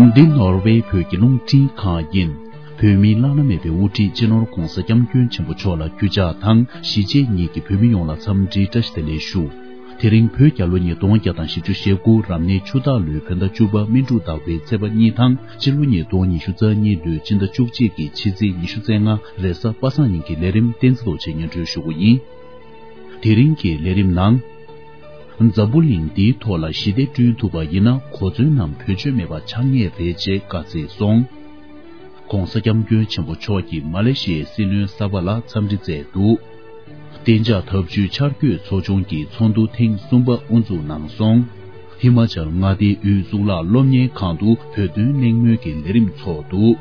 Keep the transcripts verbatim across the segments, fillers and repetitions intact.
འདི་ནོར་ཝེ་བོད་ཀྱི་རླུང་འཕྲིན་ཁང་ཡིན། བོད་མིའི་བླ་ན་མེད་པའི་དབུ་ཁྲིད་སྤྱི་ནོར་༧གོང་ས་༧སྐྱབས་མགོན་ཆེན་པོ་མཆོག་ལ་གུས་ཕྱག་དང་གཞིས་བྱེས་གཉིས་ཀྱི་བོད་མི་ཡོངས་ལ་འཚམས་འདྲིའི་བཀྲ་ཤིས་བདེ་ལེགས་ཞུ། དེ་རིང་བོད་རྒྱལ་ལོ་ཉིས་སྟོང་བརྒྱ་དང་བཞི་བཅུ་ཞེ་དགུ་རབ་གནས་ཆུ་སྟག་ལོའི་བོད་ཟླ་བཅུ་པ་སྨིན་དྲུག་ཟླ་བའི་ཚེས་པ་གཉིས་དང་སྤྱི་ལོ་ཉིས་སྟོང་ཉི་ཤུ་རྩ་གཉིས་ལོའི་སྤྱི་ཟླ་བཅུ་གཅིག་གི་ཕྱི་ཚེས་ཉི་ཤུ་རྩ་ལྔ་རེས་གཟའ་པ་སངས་ཉིན་གྱི་ལས་རིམ་བསྟན་འཛིན་རྡོ་རྗེས་སྙན་སྒྲོན་ཞུ་རྒྱུ་ཡིན། དེ་རིང་གི་ལས་རིམ་ནང་། འཛམ་བུ་གླིང་འདིའི་ཐོག་ལ་ཞི་བདེ་བསྐྲུན་ཐུབ་པ་ཡིན་ན་གོ་མཚོན་ནམ་བེད་སྤྱོད་མེད་པ་ཆགས་ངེས་རེད་ཅེས་བཀའ་སྩལ་སོང་། ྋགོང་ས་ྋསྐྱབས་མགོན་ཆེན་པོ་མཆོག་གིས་མ་ལེ་ཤི་ཡའི་སྲིད་བློན་གསར་པ་ལ་འཚམས་འདྲི་མཛད་འདུག་གཏན་འཇགས་འཐབ་ཇུས་འཆར་འགོད་ཚོགས་ཆུང་གི་ཚོགས་འདུ་ཐེངས་གསུམ་པ་དབུ་འཛུགས་གནང་སོང་། ཧི་མ་ཅལ་མངའ་སྡེའི་དབུས་གཙུག་ལག་སློབ་གཉེར་ཁང་དུ་བོད་དོན་གླེང་མོལ་གྱི་ལས་རིམ་ཚོགས་འདུག་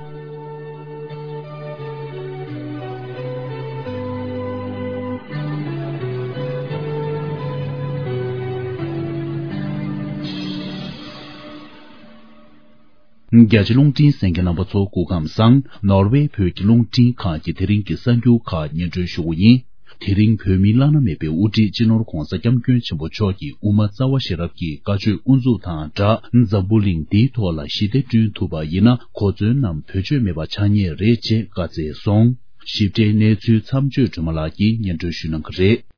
རྒྱ་ཆེ་རླུང་འཕྲིན་གསན་མཁན་རྣམ་པ་ཚོ་སྐུ་ཁམས་བཟང་། ནོར་ཝེ་བོད་ཀྱི་རླུང་འཕྲིན་ཁང་གི་དེ་རིང་གི་གསར་འགྱུར་ཁག་སྙན་སྒྲོན་ཞུ་རྒྱུ་ཡིན། དེ་རིང་བོད་མིའི་བླ་ན་མེད་པའི་དབུ་ཁྲིད་སྤྱི་ནོར་ྋགོང་ས་ྋསྐྱབས་མགོན་ཆེན་པོ་མཆོག་གིས་དབུ་མ་རྩ་བ་ཤེས་རབ་ཀྱི་བཀའ་ཆོས་དབུ་འཛུགས་དང་སྦྲགས་འཛམ་བུ་གླིང་འདིའི་ཐོག་ལ་ཞི་བདེ་བསྐྲུན་ཐུབ་པ་ཡིན་ན་གོ་མཚོན་ནམ་བེད་སྤྱོད་མེད་པ་ཆགས་ངེས་རེད་ཅེས་བཀའ་སྩལ་སོང་། ཞིབ་ཕྲའི་གནས་ཚུལ་མཚམས་གཅོད་སྒྲོལ་མ་ལགས་ཀྱིས་སྙན་སྒྲོན་ཞུ་གནང་གི་རེད།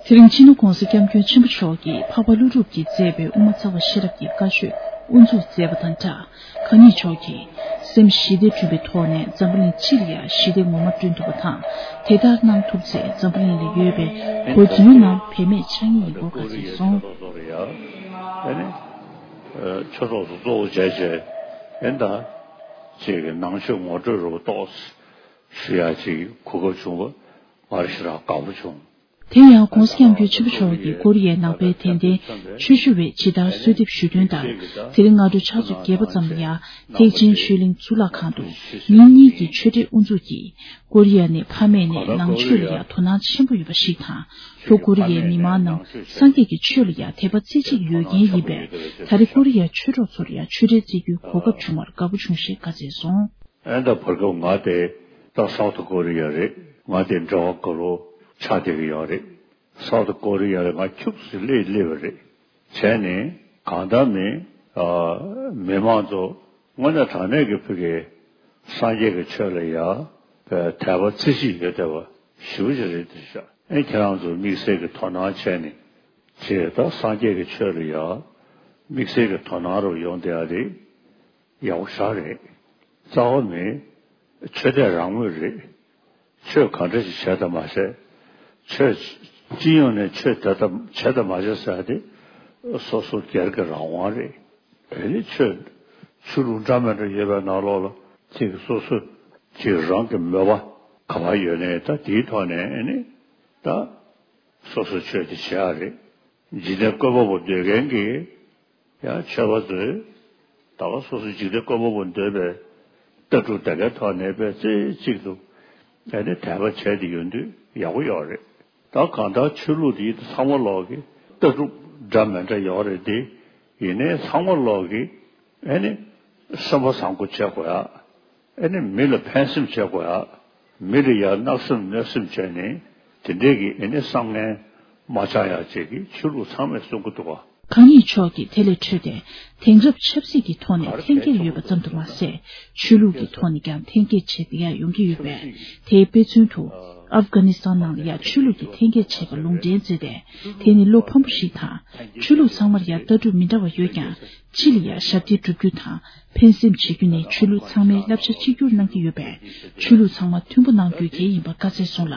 དེ་རིང་སྤྱི་ནོར་ྋགོང་ས་ྋསྐྱབས་མགོན་ཆེན་པོ་མཆོག་གིས་འཕགས་པ་ཀླུ་སྒྲུབ་ཀྱིས་མཛད་པའི་དབུ་མ་རྩ་བ་ཤེས་རབ་ཀྱི་བཀའ་ཆོས་དབུ་འཛུགས་མཛད་པ་དང་སྦྲགས། གང་ཉིད་མཆོག་གིས་སེམས་ཞི་བདེ་བསྐྲུན་པའི་ཐོག་ནས་འཛམ་བུ་གླིང་སྤྱི་ལ་ཡང་ཞི་བདེ་ངོ་མ་བསྐྲུན་ཐུབ་པ་དང་། དེ་ལྟར་གནང་ཐུབ་ཚེ་འཛམ་བུ་གླིང་ལ་ཡོད་པའི་གོ་མཚོན་ནམ་བེད་མེད་ཆགས་ངེས་ཡིན་སྐོར་བཀའ་སྩལ་སོང་། ཨེ་ནི། ཆོས་ཚོགས་སུ་གཙོ་བོ་བྱས་བྱས་ཨེ་ད་ཅིག་གི་ནང་ཆོས་ངོ་སྤྲོད་རུ་ཏོག་ཞུ་ཡ་ཅིག་གོ་སྐབས་བྱུང་བ་ང་རང་ཞེ་དྲག་དགའ་པོ་བྱུང་། དེ་ཡང་ྋགོང་ས་ྋསྐྱབས་མགོན་ཆེན་པོ་མཆོག་གིས་ཀོ་རི་ཡའི་ནང་པའི་དད་ལྡན་ཆོས་ཞུ་བས་ཇི་ལྟར་གསོལ་འདེབས་ཞུས་དོན་ལྟར། དེ་རིང་སྔ་དྲོ་ཕྱག་ཚོད་བརྒྱད་པ་ཙམ་ལ་ཡང་ཐེག་ཆེན་ཆོས་གླིང་གཙུག་ལག་ཁང་དུ་ཉིན་གཉིས་ཀྱི་ཆོས་འབྲེལ་དབུ་འཛུགས་ཀྱིས། ཀོ་རི་ཡ་ནས་ཕ་མེས་ནས་ནང་ཆོས་ལ་ཡང་དོ་སྣང་ཆེན་པོ་ཡོད་པ་ཞིག་དང་། ལྷོ་ཀོ་རི་ཡའི་མི་མང་རྣམས་སངས་རྒྱས་ཀྱི་ཆོས་ལ་ཡང་དད་པ་རྩེ་གཅིག་ཡོད་མཁན་ཡིན་པས། ད་རེས་ཀོ་རི་ཡའི་ཆོས་གྲོགས་ཚོར་ཡང་ཆོས་འབྲེལ་བརྩི་རྒྱུའི་གོ་སྐབས་བྱུང་བར་དགའ་པོ་བྱུང་ཞེས་བཀའ་སྩལ་སོང་། ཨེ་ད་བར་སྐབས་ང་དེ་ད་སའུ་ཐི་ཀོ་རི་ཡ་རེད། ང་དེ་འབྲེལ་བ་དགའ་རོགས་ཆགས་བསྡད་ཀྱི་ཡོད་རེད། སའུ་ཐི་ཀོ་རི་ཡ་ལ་ང་ཁྱུག་ཙམ་སླེབས་སླེབས་པ་རེད། བྱས་ནས་གང་ལྟར་མི་ཨ་མི་མང་ཚོ་དངོས་གནས་དྲང་གནས་ཀྱི་ཕ་གི་སངས་རྒྱས་ཀྱི་ཆོས་ལ་ཡ་དད་པ་རྩེ་གཅིག་ཡོད་བསྡད་པ་ཞེ་པོ་ཅིག་རེད་དེ་ཤག་ཨེ་ཁྱེད་རང་ཚོ་དམིགས་བསལ་གྱི་དོ་སྣང་བྱས་ནས་ཅེས་ད་སངས་རྒྱས་ཀྱི་ཆོས་ལ་ཡ་དམིགས་བསལ་གྱི་དོ་སྣང་རུ་ཡོང་བསྡད་ཡ་རེད། ཡག་པོ་ཞེ་དྲག་རེད། རྩ་བ་ནས་ཆོས་དད་རང་མོས་རེད། ཆོས་ག་འདྲ་ཞིག་བྱས་དང་མ་བྱས། ཆོས་སྤྱི་ཡོངས་ནས་ཆོས་དད་དང་བྱས་དང་མ་བྱས་ཟེར་ཡ་དེ་སོ་སོ་སྒེར་གྱི་རང་དབང་རེད། དེ་ནི་ཆོས་ཆོས་ལུགས་འདྲ་མི་འདྲ་ཡོད་པའི་ནང་ལོགས་ལ་ཅིག་སོ་སོ་ཅིག་རང་གི་མོས་པ་ག་པར་ཡོད་ནའི་ད་དེའི་ཐོག་ནས་ནི་ད་སོ་སོ་ཆོས་དེ་བྱེད་ཡ་རེད། འཇིག་རྟེན་བཀོད་པ་པོ་འདོད་མཁན་གྱི་ཡང་ཆོས་པ་ཚོས་ད་ག་སོ་སོ་འཇིག་རྟེན་བཀོད་པ་པོ་འདོད་པའི་ལྟ་གྲུབ་དེ་གའི་ཐོག་ནས་དཔེ་རྩེ་གཅིག་ཏུ་ཨེ་ནི་དད་པ་བྱས་ཏེ་ཡོང་དུས་ཡག་པོ་ཡོད་རེད། ད་གང་ལྟར་ཆོས་ལུགས་དེ་ཚང་མ་ལོག་གི་ལྟ་གྲུབ་འདྲ་མི་འདྲ་ཡོད་རེད་དེ། ཡིན་ནའི་ཚང་མ་ལོག་གི་ཨེ་ནི་སེམས་པ་བཟང་པོ་བྱེད་དགོས་ཡ། ཨེ་ནི་མི་ལ་ཕན་སེམས་བྱེད་དགོས་ཡ། མི་ལ་ཡ་བརྣབ་སེམས་གནོད་སེམས་བྱས་ནས་དེ་འདྲས་ཀྱི་ཨེ་ནི་བསམ་ངན་མ་བཅངས་ཡ་བཅས་ཀྱི་ཆོས་ལུགས་ཚང་མས་གསུང་གི་འདུག་ག་གང་ཉིད་མཆོག་གིས་དེ་ལས་འཕྲོས་ཏེ་དེང་རབས་ཆབ་སྲིད་ཀྱི་ཐོག་ནས་འཐེན་འཁྱེར་ཡོད་པ་ཙམ་དུ་མ་ཟད། ཆོས་ལུགས་ཀྱི་ཐོག་ནས་ཀྱང་འཐེན་འཁྱེར་བྱེད་བསྡད་ཡ་ཡོང་གི་ཡོད་པས། དེའི་དཔེ་མཚོན་དུ། ཨབ་གྷ་ནི་སི་ཐན་ནང་ལ་ཡ་ཆོས་ལུགས་ཀྱི་འཐེན་འཁྱེར་བྱས་པ་ལུང་འདྲེན་མཛད་དེ། དེ་ནི་བློ་ཕམ་པོ་ཞིག་དང་། ཆོས་ལུགས་ཚང་མར་ཡ་ལྟ་གྲུབ་མི་འདྲ་བ་ཡོད་ཀྱང་། སྤྱི་ལ་ཡ་ཞབས་འདེགས་སྒྲུབ་རྒྱུ་དང་། ཕན་སེམས་བྱེད་རྒྱུ་ནི་ཆོས་ལུགས་ཚང་མའི་བསླབ་བྱ་གཅིག་གྱུར་གནང་གི་ཡོད་པས། ཆོས་ལུགས་ཚང་མ་མཐུན་པོ་གནང་རྒྱུ་གལ་ཡིན་པ་བཀའ་སྩལ་སོང་ལ།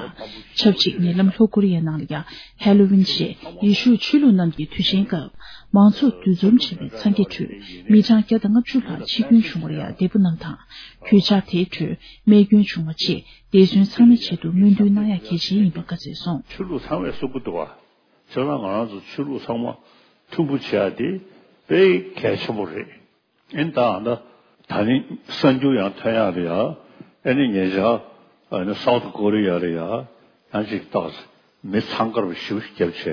ཆབས་ཅིག་ཉེ་ལམ་ལྷོ་ཀོ་རི་ཡའི་ནང་ལ་ཡ་ཧེ་ལོ་ཝིན་ཞེས་ཡེ་ཤུ་ཆོས་ལུགས་རྣམས་ཀྱི་དུས་ཆེན་སྐབས། མང་ཚོགས་འདུ་འཛོམས་བྱས་པའི་འཚང་ཁའི་ཁྲོད་མི་གྲངས་བརྒྱ་དང་ལྔ་བཅུ་ལྷག་འཆི་སྐྱོན་བྱུང་བར་ཡང་འདེད་པོ་གནང་དང་། གུས་ཕྱག་དེའི་ཁྲོད་རྨས་སྐྱོན་བྱུང་བ་ཆེད་འདས་གསོན་ཚང་མའི་ཆེད་དུ་སྨོན་འདུན་གནང་ཡག་གལ་ཆེན་ཡིན་པ་བཀའ་སྩལ་སོང་། ཆོས་ལུགས་ཚང་མས་གསུང་གི་འདུག་བ། བྱས་ཙང་ང་རང་ཚོ་ཆོས་ལུགས་ཚང་མ་མཐུན་པོ་བྱེད་ཡ་དེ་དཔེ་གལ་ཆེན་པོ་རེད། ཨེ་ནི་ད་ཨ་ད་ད་ནི་གསར་འགྱུར་ཡང་ཐོན་ཡག་རེད་ཡ། ཨེ་ནི་ཉེ་ཆར་ཨ་ནི་སའུ་ཐི་ཀོ་རི་ཡ་རེད་ཡ། ཡང་ཅིག་ཏག་མི་འཚང་ཁ་པོ་ཞེ་པོ་ཞིག་བརྒྱབ་བྱས་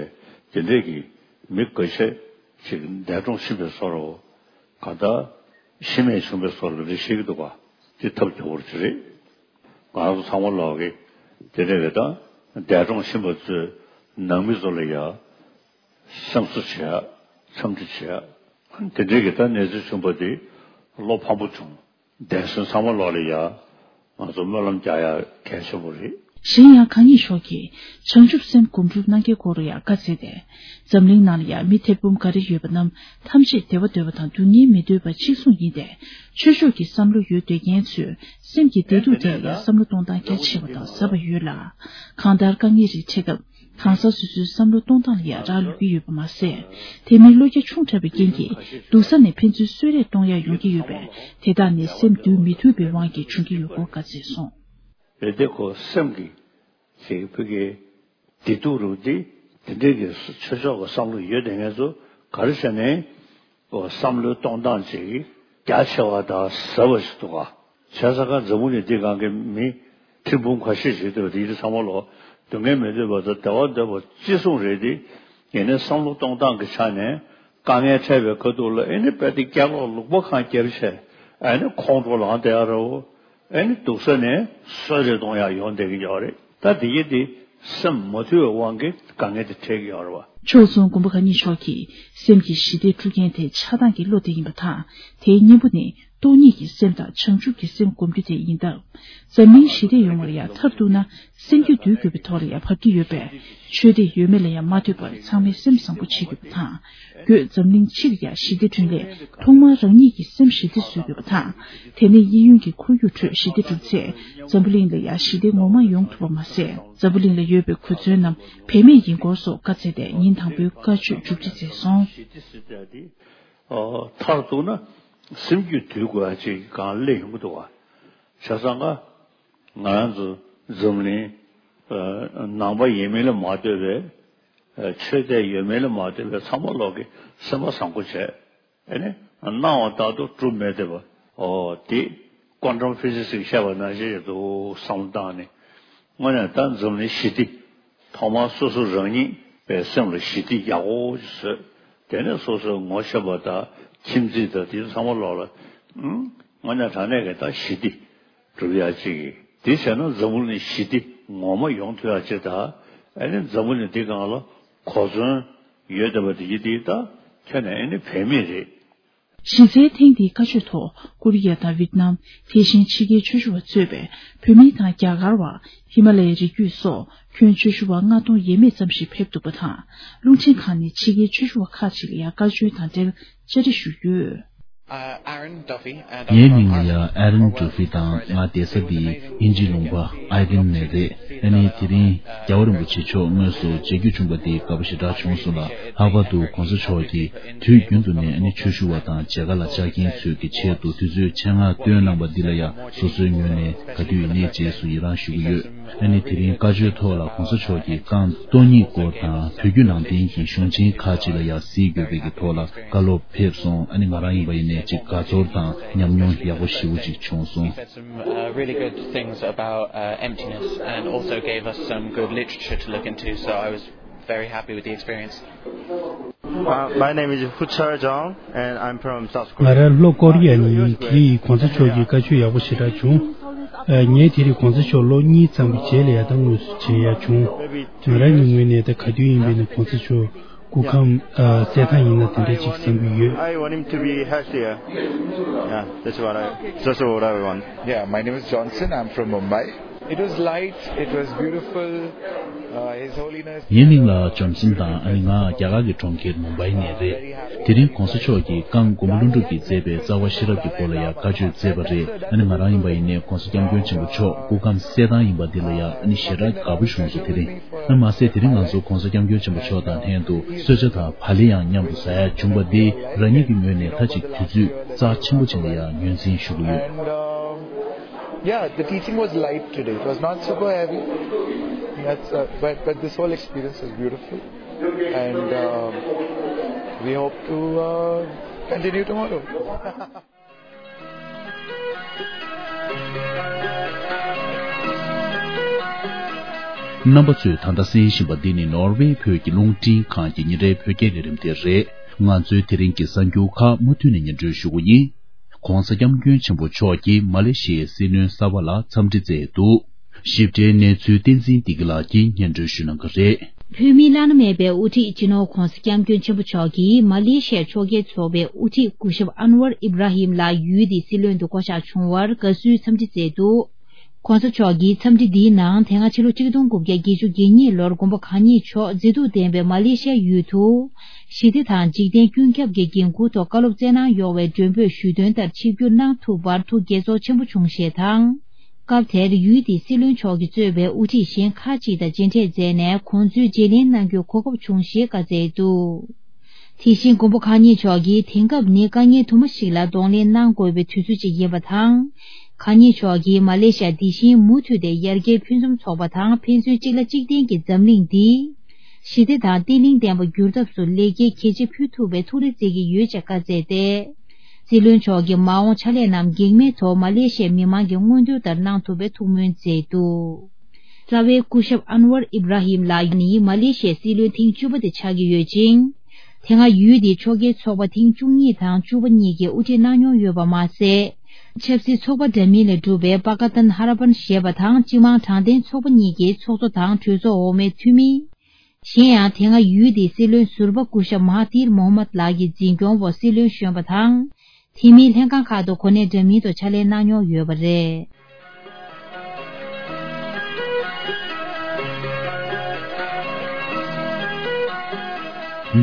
དེ་འདྲས་ཀྱི་མི་འགའ་ཤས་ཅིག་འདས་གྲོངས་ཕྱིན་པའི་བཟོ་འདྲ་བོ། གང་ལྟར་ཤི་རྨས་བྱུང་བའི་བཟོ་འདྲ་རེ་བཤད་ཀྱི་འདུག་ག་དེ་ཐབས་སྐྱོ་བོ་ཅིག་རེད། ང་རང་ཚོ་ཚང་མ་ལོག་གི་དེ་འདྲས་རེད། ད་འདས་གྲོངས་ཕྱིན་པ་ཚོའི་ནང་མི་ཚོ་ལ་ཡ། སེམས་གསོ་བྱེད་ཡ། འཚམས་འདྲི་བྱེད་ཡ། དེ་འདྲའི་གི་ད་གནས་ཚུལ་བྱུང་པ་དེ་བློ་ཕམ་པོ་བྱུང་། འདས་སོན་ཚང་མ་ལོག་ལ་ཡ། ང་ཚོ་སྨོན་ལམ་རྒྱག་ཡ་གལ་ཆེན་པོ་རེད། གཞན་ཡང་གང་ཉིད་མཆོག་གིས་བྱང་ཆུབ་སེམས་སྒོམ་སྒྲུབ་གནང་གལ་སྐོར་ཡང་བཀའ་སྩལ་ཏེ། འཛམ་གླིང་ནང་ལ་ཡང་མི་ཐེར་འབུམ་འགའ་རེ་ཡོད་པ་རྣམས་ཐམས་ཅད་བདེ་བ་འདོད་པ་དང་སྡུག་བསྔལ་མི་འདོད་པ་གཅིག་མཚུངས་ཡིན་ཏེ། ཆོས་ཕྱོགས་ཀྱི་བསམ་བློ་ཡོད་སྡོད་མཁན་ཚོས་སེམས་ཀྱི་བདེ་སྡུག་ཐད་ལ་ཡང་བསམ་བློ་གཏོང་སྟངས་རྒྱ་ཆེ་བ་དང་ཟབ་པ་ཡོད་ལ། གང་ལྟར་དཀའ་ངལ་རིགས་འཕྲད་སྐབས། གང་ཟག་སོ་སོའི་བསམ་བློ་གཏོང་སྟངས་ལ་ཡང་རག་ལུས་ཀྱི་ཡོད་པ་མ་ཟད། དེ་མིན་བློ་རྒྱ་ཆུང་དྲགས་པའི་རྐྱེན་གྱིས་སྡུག་ས་ནས་ཕན་ཚུན་གསོད་རེས་གཏོང་ཡ་ཡོང་གི་ཡོད་པས། དེ་དག་ནི་སེམས་འདུལ་མི་ཐུབ་པའི་དབང་གིས་བྱུང་གི་ཡོད་སྐོར་བཀའ་སྩལ་སོང་། རེད་དེ། ཁོ་སེམས་ཀྱི་ཞེས་བོད་ཀྱི་བདེ་སྡུག་རུ་འདི་དེ་འདྲའི་གི་ཆོས་ཕྱོགས་ཀྱི་བསམ་བློ་ཡོད་དེ་ངེད་ཚོ་ག་རེ་བྱས་ནས་བསམ་བློའི་གཏོང་སྟངས་ཅིག་རྒྱ་ཆེ་བ་དང་ཟབ་པ་ཞིག་འདུག་ག་བྱས་ཙང་ཀ་འཛམ་བུ་གླིང་འདི་སྒང་གི་མི་ཁྲི་འབུམ་ཁ་ཤས་ཤིག་འདུག་དེ་ཚོ་ཚང་མ་ལོ་སྡུག་བསྔལ་མི་འདོད་པ་དང་བདེ་བ་འདོད་པ་ཅི་གསུང་རེད་དེ། ཡིན་ནའི་བསམ་བློ་གཏོང་སྟངས་ཀྱི་ཆ་ནས་དཀའ་ངལ་འཕྲད་པའི་ཁ་ཐུག་ལ་ཨེ་ནི་དཔེ་དེ་སྐྱག་ལོག་ལུག་པ་གང་བརྒྱབ་བྱས་ཨེ་ནི་ཁོང་ཁྲོ་ལངས་བསྡད་ཡ་རེད། ཨེ་ནི་སྡུག་ས་ནས་གསོད་རེས་གཏོང་ཡ་ཡོང་བསྡད་ཀྱི་ཡོད་རེད། ད་དེ་ཡིན་དེ་སེམས་མ་ཐུལ་བའི་དབང་གིས་དཀའ་ངལ་དེ་འཕྲད་ཀྱི་ཡོད་རེད་བ། ཕྱོགས་མཚུངས་མགོན་པོ་གང་ཉིད་མཆོག་གིས་སེམས་ཀྱི་ཞི་བདེ་སྒྲུབ་མཁན་དེ་ཆགས་སྡང་གི་བློ་དེ་ཡིན་པ་དང་། དེའི་གཉེན་པོ་ནི་སྟོང་ཉིད་ཀྱི་སེམས་དང་བྱང་ཆུབ་ཀྱི་སེམས་སྒོམ་རྒྱུ་དེ་ཡིན་སྟབས། འཛམ་གླིང་ཞི་བདེ་ཡོང་བར་ཡང་མཐར་གཏུགས་ན་སེམས་རྒྱུད་འདུལ་དགོས་པའི་ཐོག་ལ་ཡང་བབས་ཀྱི་ཡོད་པས། ཆོས་དེ་ཡོད་མེད་ལ་ཡང་མ་ལྟོས་པར་ཚང་མས་སེམས་བཟང་པོ་བྱེད་དགོས་པ་དང་། བོད་འཛམ་གླིང་སྤྱི་ལ་ཡང་ཞི་བདེ་བསྐྲུན་སླད་ཐོག་མར་རང་ཉིད་ཀྱི་སེམས་ཞི་བདེ་བཟོ་དགོས་པ་དང་། དེ་ནས་གཡས་གཡོན་གྱི་ཁོར་ཡུག་ཁྲོད་ཞི་བདེ་བསྒྲུབས་ཚེ་འཛམ་བུ་གླིང་ལ་ཡང་ཞི་བདེ་ངོ་མ་ཡོང་ཐུབ་པ་མ་ཟད། འཛམ་བུ་གླིང་ལ་ཡོད་པའི་གོ་མཚོན་རྣམས་བེད་མེད་ཡིན་སྐོར་སོགས་བཀའ་སྩལ་ཏེ་ཉིན་དང་པོའི་བཀའ་ཆོས་མཇུག་སྒྲིལ་མཛད་སོང་། ཨོ། མཐར་གཏུགས་ན་སེམས་རྒྱུད་འདུལ་དགོས་ཡ་ཅིག་གང་སླེབས་ཡོང་གི་འདུག་བ། བྱས་ཙང་ཀ་ང་རང་ཚོ་འཛམ་གླིང་ནང་པ་ཡིན་མིན་ལ་མ་ལྟོས་པའི། ཆོས་དད་ཡོད་མེད་ལ་མ་ལྟོས་པའི་ཚང་མ་ལོག་གི་སེམས་པ་བཟང་པོ་བྱས། ཨེ་ནི་སྣང་བ་ལྟར་དུ་གྲུབ་མེད་བསྡད་པ། ཨོ་དེ་ཀོན་ཊམ་ཕི་ཟིག་སི་ཞིག་བཤད་པ་ནང་བཞིན་རེད་འདུག་བསམ་བློ་བཏང་ནས། དངོས་གནས་ད་འཛམ་གླིང་ཞི་བདེ། ཐོག་མར་སོ་སོ་རང་ཉིད་པའི་སེམས་ལ་ཞི་བདེ་ཡག་པོ་ཞིག་བཟོས། དེ་ནས་སོ་སོའི་ངོ་ཤེས་པ་དང་ཁྱིམ་མཚེས་དང་དེ་ཚོ་ཚང་མ་ལོག་ལ། ཨང་། དངོས་གནས་དྲང་གནས་ཀྱི་ད་ཞི་བདེ་སྒྲུབ་ཡག་ཅིག་གིས། དེ་བྱས་ན་འཛམ་བུ་གླིང་ཞི་བདེ་ངོ་མ་ཡོང་ཐུབ་ཡག་ཅིག་དང་། ཨ་ནི་འཛམ་བུ་གླིང་འདི་སྒང་ལ་གོ་མཚོན་ཡོད་བསྡད་པ་དེ་ཡིན་དེ་ད་ཁྱོན་ནས་ཨ་ནི་བེད་མེད་རེད། གཞི་རྩའི་ཐེངས་འདིའི་བཀའ་ཆོས་ཐོག་ཀོ་རི་ཡ་དང་ཝི་ཏི་ནམ། དེ་བཞིན་ཕྱི་རྒྱལ་ཆོས་ཞུ་བ་གཙོས་པའི་བོད་མི་དང་རྒྱ་གར་བ། ཧི་མ་ལ་ཡའི་རི་རྒྱུད་སོགས་ཁྱོན་ཆོས་ཞུ་བ་ལྔ་སྟོང་ཡས་མས་ཙམ་ཞིག་ཕེབས་འདུག་པ་དང་། རླུང་འཕྲིན་ཁང་ནས་ཕྱི་རྒྱལ་ཆོས་ཞུ་བ་ཁག་ཅིག་ལ་ཡང་བཀའ་ཆོས་དང་འབྲེལ་བཅར་འདྲི་ཞུས་ཡོད། Uh, Aaron Duffy, and ངའི་མིང་ལ་ཡང་ཨ་རན་ཌུ་ཕི་དང་ང་བསྡད་ས་འདི་དབྱིན་ཇིའི་ལུང་པ་ཨའི་ཌེན་ནས་རེད། ཨ་ནི་དེ་རིང་རྒྱལ་བ་རིན་པོ་ཆེ་མཆོག་དངོས་སུ་མཇལ་རྒྱུ་བྱུང་པ་དེ་དགའ་པོ་ཞེ་དྲག་བྱུང་སོང་ལ། ལྷག་པར་དུ་གོང་ས་མཆོག་གིས་དུས་རྒྱུན་དུ་ནས་ཨ་ནི་ཆོས་ཞུ་བ་དང་མཇལ་ཁ་ལ་བཅར་མཁན་ཚོའི་གི་ཆེད་དུ་དུས་ཚོད་ཆེད་མངགས་བཏོན་གནང་པ་འདི་ལ་ཡང་སོ་སོའི་ངོས་ནས་ག་དུས་ཡིན་ནའི་རྗེས་སུ་ཡི་རང་ཞུ་གི་ཡོད། ཨ་ནི་དེ་རིང་བཀའ་ཆོས་ཐོག་ལ་གོང་ས་མཆོག་གིས་རྐང་སྟོང་ཉིད་སྐོར་དང་བོད་བརྒྱུད་ནང་བསྟན་གྱི་གཞུང་ཆེན་ཁག་ཅིག་ལ་ཡང་གཟིགས་དགོས་པའི་གི་ཐོག་ལ་བཀའ་སློབ་ཕེབས་སོང་། ཨ་ནི་ང་རང་ཡིན་པ་ཡིན་ནའི་ཅིག་དགའ་ཚོར་དང་ཉམས་མྱོང་ཡག་པོ་ཞེ་པོ་ཅིག་བྱུང་སོང་། Said some uh, really good things about uh, emptiness and also gave us some good literature to look into, so I was very happy with the experience. Uh, my name is Huchar Jang and I'm from South Korea. ང་རང་ལྷོ་ཀོ་རི་ཡ་ནས་ཡིན། དེ་རིང་གོང་ས་མཆོག་གི་བཀའ་ཆོས་ཡག་པོ་ཞེ་དྲག་བྱུང་། ཨ། ངས་དེ་རིང་གོང་ས་མཆོག་ལོ་གཉིས་ཙམ་གྱི་རྗེས་ལ་ཡ་ད་དངོས་སུ་མཇལ་ཡ་བྱུང་། ང་རང་གི་ངོས་ནས་ད་ག་དུས་ཡིན་པའི་ནི་གོང་ས་མཆོག་སྐུ་ཁམས་ཨ་གསལ་ཐང་ཡིན་ན་དེ་འདྲ་ཅིག་བསམ་གྱི་ཡོད། I want him to be healthier. Yeah, that's what I, that's what I want. Yeah, my name is Johnson. I'm from Mumbai. It was light, it was beautiful. Uh, His Holiness. ངའི་མིང་ལ་ཇོན་སན་དང་། ཨ་ནི་ང་རྒྱ་གར་གྱི་གྲོང་ཁྱེར་མུམ་བྷའི་ནས་རེད། དེ་རིང་གོང་ས་མཆོག་གིས་རྐང་མགོན་པོ་ཀླུ་སྒྲུབ་ཀྱིས་མཛད་པའི་རྩ་བ་ཤེས་རབ་ཀྱི་སྐོར་ལ་ཡང་བཀའ་ཆོས་སྩལ་བ་རེད། ཨ་ནི་ང་རང་ཡིན་པ་ཡིན་ནའི་གོང་ས་སྐྱབས་མགོན་ཆེན་པོ་མཆོག་སྐུ་ཁམས་གསལ་ཐང་ཡིན་པ་འདི་ལ་ཡང་ཨ་ནི་ཞེ་དྲག་དགའ་པོ་བྱུང་སོང་། དེ་རིང་ཨ་མ་ཟད་དེ་རིང་ང་ཚོ་གོང་ས་སྐྱབས་མགོན་ཆེན་པོ་མཆོག་དང་ལྷན་དུ་གསོལ་ཇ་དང་བག་ལེབ་ཡང་མཉམ་དུ་ཟ་ཡ་བྱུང་བ་འདི་རང་ཉིད་ཀྱི་ངོས་ནས་ད་ཅིག་དུས་ཚོད་རྩ་ཆེན་པོ་ཅིག་ལ་ཡང་ངོས་འཛིན་ཞུ་གི་ཡོད། And, um, yeah, the teaching was light today. It was not super heavy. That's, uh, but, but this whole experience was beautiful. And, um, we hope to, uh, continue tomorrow. རྣམ་པ་ཚོས་ད་ལྟ་གསན་བཞིན་པ་འདི་ནི་ནོར་ཝེ་བོད་ཀྱི་རླུང་འཕྲིན་ཁང་གི་ཉིན་རེའི་བོད་སྐད་ལས་རིམ་དེ་རེད། ང་ཚོའི་དེ་རིང་གི་གསར་འགྱུར་ཁག་མུ་མཐུད་ནས་སྙན་སྒྲོན་ཞུ་གི་ཡིན། ༸གོང་ས་༸སྐྱབས་མགོན་ཆེན་པོ་མཆོག་གིས་མ་ལེ་ཤི་ཡའི་སྲིད་བློན་གསར་པ་ལ་འཚམས་འདྲི་བསྩལ་འདུག་ཞིབ་ཕྲའི་གནས་ཚུལ་བསྟན་འཛིན་བདེ་སྐྱིད་ལགས་ཀྱིས་སྙན་སྒྲོན་ཞུ་གནང་གི་རེད། བོད་མིའི་བླ་ན་མེད་པའི་དབུ་ཁྲིད་སྤྱི་ནོར་༧གོང་ས་༧སྐྱབས་མགོན་ཆེན་པོ་མཆོག་གིས་མ་ལེ་ཤི་ཡའི་ཕྱོགས་འགལ་ཚོགས་པའི་དབུ་ཁྲིད་སྐུ་ཞབས་ཨན་ཝར་ཨིབ་ར་ཧིམ་ལགས་ཡུལ་དེའི་སྲིད་བློན་དུ་བསྐོ་གཞག་བྱུང་བར་དགའ་བསུའི་འཚམས་འདྲི་མཛད་འདུག ༸གོང་ས་མཆོག་གིས་འཚམས་འདྲི་འདིའི་ནང་དེ་སྔ་ཕྱི་ལོ་ཆིག་སྟོང་དགུ་བརྒྱ་བརྒྱད་ཅུ་གྱ་གཉིས་ལོར་མགོན་པོ་གང་ཉིད་མཆོག་མཛེས་སྡུག་ལྡན་པའི་མ་ལེ་ཤི་ཡའི་ཡུལ་དུ་ཞི་བདེ་དང་འཇིག་རྟེན་ཀུན་ཁྱབ་ཀྱི་འགན་འཁུར་ཐོག་བཀའ་སློབ་སྩལ་གནང་ཡོང་བའི་མགྲོན་འབོད་ཞུས་དོན་ལྟར་ཆིབས་བསྒྱུར་གནང་ཐུབ་པར་ཐུགས་དགྱེས་ཚོར་ཆེན་པོ་བྱུང་ཞེས་དང་། སྐབས་དེར་ཡུལ་དེའི་སྲིད་བློན་མཆོག་གིས་གཙོས་པའི་དབུ་ཁྲིད་གཞན་ཁག་ཅིག་དང་མཇལ་འཕྲད་མཛད་ནས་ཁོང་ཚོའི་བརྗེ་ལེན་གནང་རྒྱུའི་གོ་སྐབས་བྱུང་ཞེས་བཀའ་སྩལ་འདུག་དེ་བཞིན་མགོན་པོ་གང་ཉིད་མཆོག་གིས་དེང་སྐབས་ནི་དཀའ་ངལ་དུ་མ་ཞིག་ལ་གདོང་ལེན་གནང་དགོས་པའི་དུས་ཚོད་ཅིག་ཡིན་པ་དང་། གང་ཉིད་མཆོག་གིས་མ་ལེ་ཤི་ཡ་འདི་བཞིན་མུ་མཐུད་དེ་ཡར་རྒྱས་ཕུན་སུམ་ཚོགས་པ་དང་ཕན་ཚུན་གཅིག་ལ་གཅིག་བརྟེན་གྱི་འཛམ་གླིང་འདི་ཞི་བདེ་དང་བརྟན་ལྷིང་ལྡན་པ་འགྱུར་ཐབས་སུ་ལེགས་སྐྱེས་གལ་ཆེ་ཕུལ་ཐུབ་པའི་ཐུགས་རེ་བརྩེ་གི་ཡོད་ཅེས་བཀའ་སྩལ་ཏེ། སྲིད་བློན་མཆོག་གིས་མ་འོངས་ཕྱག་ལས་རྣམས་གེགས་མེད་ཐོག་མ་ལེ་ཤི་ཡའི་མི་མང་གི་མངོན་འདོད་ལྟར་གནང་ཐུབ་པའི་ཐུགས་སྨོན་མཛད་འདུག་རྩ་བའི་སྐུ་ཞབས་ཨན་ཝར་ཨིབ་ར་ཧིམ་ལགས་ནི་མ་ལེ་ཤི་ཡའི་སྲིད་བློན་ཐེངས་བཅུ་པ་དེ་ཆགས་ཀྱི་ཡོད་ཅིང་། དེ་སྔ་ཡུལ་དེའི་ཕྱོགས་འགལ་ཚོགས་པ་ཐེངས་བཅུ་གཉིས་དང་བཅུ་པ་གཉིས་ཀྱིས་དབུ་ཁྲིད་གནང་མྱོང་ཡོད་པ་མ་ཟད། ཆབ་སྲིད་ཚོགས་པ་འདྲ་མིན་ལས་གྲུབ་པའི་པ་ཀ་ཏན་ཧ་ར་པན་ཞེས་པ་དང་སྤྱི་དམངས་དྲང་བདེན་ཚོགས་པ་གཉིས་ཀྱི་ཚོགས་གཙོ་དང་གྲོས་ཚོགས་འོག་མའི་འཐུས་མི། གཞན་ཡང་དེ་སྔ་ཡུལ་དེའི་སྲིད་བློན་ཟུར་པ་སྐུ་ཞབས་མ་ཧ་ཐིར་མོ་ཧ་མད་ལགས་ཀྱི་འཛིན་སྐྱོང་འོག་སྲིད་བློན་གཞོན་པ་དང་། འཐུས་མིའི་ལྷན་ཁང་ཁག་ཏུ་གོ་གནས་འདྲ་མིན་དུ་ཕྱག་ལས་གནང་མྱོང་ཡོད་པ་རེད།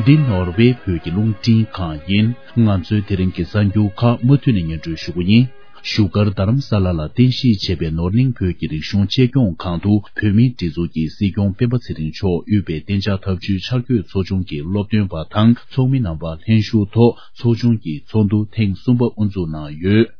འདི་ནོར་ཝེ་བོད་ཀྱི་རླུང་འཕྲིན་ཁང་ཡིན། ང་ཚོའི་དེ་རིང་གི་གསར་འགྱུར་ཁག་མུ་མཐུད་ནས་སྙན་སྒྲོན་ཞུ་གི་ཡིན། བཞུགས་སྒར་རྡ་རམ་ས་ལ་ལ་རྟེན་གཞི་བྱས་པའི་ནོར་གླིང་བོད་ཀྱི་རིག་གཞུང་གཅེས་སྐྱོང་ཁང་དུ་བོད་མིའི་སྒྲིག་འཛུགས་ཀྱི་སྲིད་སྐྱོང་སྤེན་པ་ཚེ་རིང་མཆོག་དབུས་པའི་གཏན་འཇགས་ཐབས་ཇུས་འཆར་འགོད་ཚོགས་ཆུང་གི་སློབ་སྟོན་པ་དང་ཚོགས་མི་རྣམ་པ་ལྷན་ཞུགས་ཐོག་ཚོགས་ཆུང་གི་ཚོགས་འདུ་ཐེངས་གསུམ་པ་དབུ་འཛུགས་གནང་ཡོད།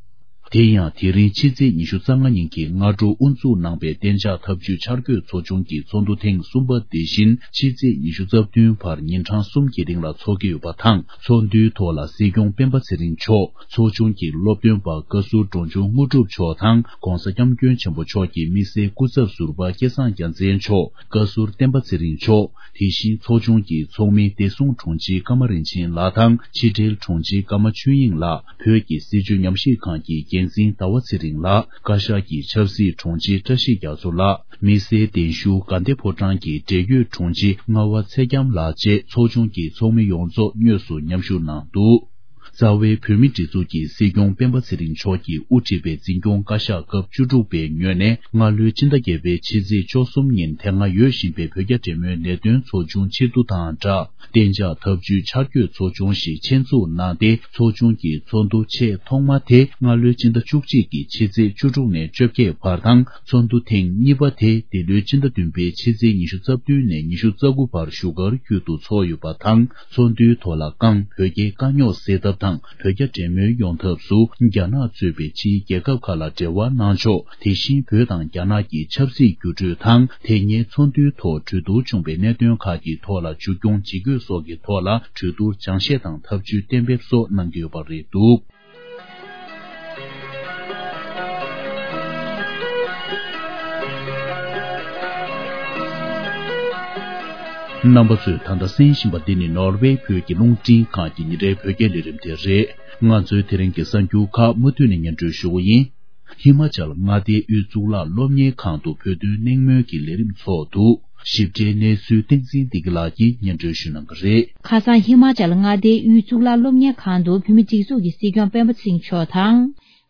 དེ་ཡང་དེ་རིང་ཕྱི་ཚེས་ཉི་ཤུ་རྩ་ལྔ་ཉིན་གྱི་སྔ་དྲོ་དབུ་འཛུགས་གནང་པའི་གཏན་འཇགས་ཐབས་ཇུས་འཆར་འགོད་ཚོགས་ཆུང་གི་ཚོགས་འདུ་ཐེངས་གསུམ་པ་དེ་བཞིན་ཕྱི་ཚེས་ཉི་ཤུ་རྩ་བདུན་བར་ཉིན་གྲངས་གསུམ་གྱི་རིང་ལ་འཚོགས་ཀྱི་ཡོད་པ་དང་། ཚོགས་འདུའི་ཐོག་ལ་སྲིད་སྐྱོང་སྤེན་པ་ཚེ་རིང་མཆོག་ཚོགས་ཆུང་གི་སློབ་སྟོན་པ་བཀའ་ཟུར་འབྲོང་ཆུང་དངོས་གྲུབ་མཆོག་དང་༸གོང་ས་༸སྐྱབས་མགོན་ཆེན་པོ་མཆོག་གི་དམིགས་བསལ་སྐུ་ཚབ་ཟུར་པ་སྐལ་བཟང་རྒྱལ་མཚན་མཆོག་བཀའ་ཟུར་བསྟན་པ་ཚེ་རིང་མཆོག་དེ་བཞིན་ཚོགས་ཆུང་གི་ཚོགས་མི་བདེ་སྲུང་དྲུང་ཆེ་ཀརྨ་རིན་ཆེན་ལགས་དང་ཕྱི་འབྲེལ་དྲུང་ཆེ་ཀརྨ་ཆོས་དབྱིངས་ལགས། བོད་ཀྱི་སྲིད་བྱུས་ཉམས་ཞིབ་ཁང་གི་འགན་འཛིན་ཟླ་བ་ཚེ་རིང་ལགས། བཀའ་ཤག་གི་ཆབ་སྲིད་དྲུང་ཆེ་བཀྲ་ཤིས་རྒྱ་མཚོ་ལགས། དམིགས་བསལ་གདན་ཞུ་དགའ་ལྡན་ཕོ་བྲང་གི་འབྲེལ་ཡོད་དྲུང་ཆེ་རྔ་བ་ཚེ་རྒྱམ་ལགས་བཅས་ཚོགས་ཆུང་གི་ཚོགས་མི་ཡོངས་རྫོགས་དངོས་སུ་མཉམ་ཞུགས་གནང་འདུག་རྩ་བའི་བོད་མིའི་སྒྲིག་འཛུགས་ཀྱི་སྲིད་སྐྱོང་སྤེན་པ་ཚེ་རིང་མཆོག་གིས་དབུ་ཁྲིད་པའི་འཛིན་སྐྱོང་བཀའ་ཤག་སྐབས་བཅུ་དྲུག་པའི་ངོས་ནས་སྔ་ལོའི་ཕྱི་ཟླ་བརྒྱད་པའི་ཕྱི་ཚེས་བཅུ་གསུམ་ཉིན་དེ་སྔ་ཡོད་བཞིན་པའི་བོད་རྒྱ་འབྲེལ་མོལ་ལས་དོན་ཚོགས་ཆུང་ཕྱིར་བསྡུ་དང་སྦྲགས། གཏན་འཇགས་ཐབས་ཇུས་འཆར་འགོད་ཚོགས་ཆུང་ཞིག་ཆེད་འཛུགས་གནང་སྟེ། ཚོགས་ཆུང་གི་ཚོགས་འདུ་ཆེས་ཐོག་མ་དེ་སྔ་ལོའི་ཕྱི་ཟླ་བཅུ་གཅིག་གི་ཕྱི་ཚེས་བཅུ་དྲུག་ནས་བཅོ་བརྒྱད་བར་དང་། ཚོགས་འདུ་ཐེངས་གཉིས་པ་དེ་འདི་ལོའི་ཕྱི་ཟླ་བདུན་པའི་ཕྱི་ཚེས་ཉི་ཤུ་རྩ་བདུན་ནས་ཉི་ཤུ་རྩ་དགུ་བར་བཞུགས་སྒར་ཁུལ་དུ་འཚོགས་ཡོད་པ་དང་། ཚོགས་འདུའི་ཐོག་ལ་ཀང་བོད་རྒྱའི་དཀའ་རྙོག་སེལ་ཐབས་དང་། བོད་རྒྱ་འབྲེལ་མོལ་ཡོང་ཐབས་སུ་རྒྱ་ནག་གཙོས་པའི་ཕྱིའི་རྒྱལ་ཁབ་ཁག་ལ་འབྲེལ་བ་གནང་ཕྱོགས། དེ་བཞིན་བོད་དང་རྒྱ་ནག་གི་ཆབ་སྲིད་འགྱུར་འགྲོས་དང་། དེ་སྔའི་ཚོགས་འདུའི་ཐོག་གྲོས་བསྡུར་བྱུང་བའི་གནད་དོན་ཁག་གི་ཐོག་ལ་མཇུག་སྐྱོང་ཇི་དགོས་སོགས་ཀྱི་ཐོག་ལ་གྲོས་བསྡུར་སྦྱང་བཤད་དང་ཐབས་ཇུས་གཏན་འབེབས་སོགས་གནང་གི་ཡོད་པ་རེད་འདུག་རྣམ་པ་ཚོས་ད་ལྟ་གསན་བཞིན་པ་འདི་ནི་ནོར་ཝེ་བོད་ཀྱི་རླུང་འཕྲིན་ཁང་གི་ཉིན་རེའི་བོད་སྐད་ལས་རིམ་དེ་རེད། ང་ཚོའི་དེ་རིང་གི་གསར་འགྱུར་ཁག་མུ་མཐུད་ནས་སྙན་སྒྲོན་ཞུ་གི་ཡིན། ཧི་མ་ཅལ་མངའ་སྡེའི་དབུས་གཙུག་ལག་སློབ་གཉེར་ཁང་དུ་བོད་དོན་གླེང་མོལ་གྱི་ལས་རིམ་ཚོགས་འདུག་ཞིབ་ཕྲའི་གནས་ཚུལ་བསྟན་འཛིན་བདེ་སྐྱིད་ལགས་ཀྱིས་སྙན་སྒྲོན་ཞུ་གནང་གི་རེད། ཁ་སང་ཧི་མ་ཅལ་མངའ་སྡེའི་དབུས་གཙུག་ལག་སློབ་གཉེར་ཁང་དུ་བོད་མིའི་སྒྲིག་འཛུགས་ཀྱི་སྲིད་སྐྱོང་སྤེན་པ་ཚེ་རིང་མཆོག་དང་།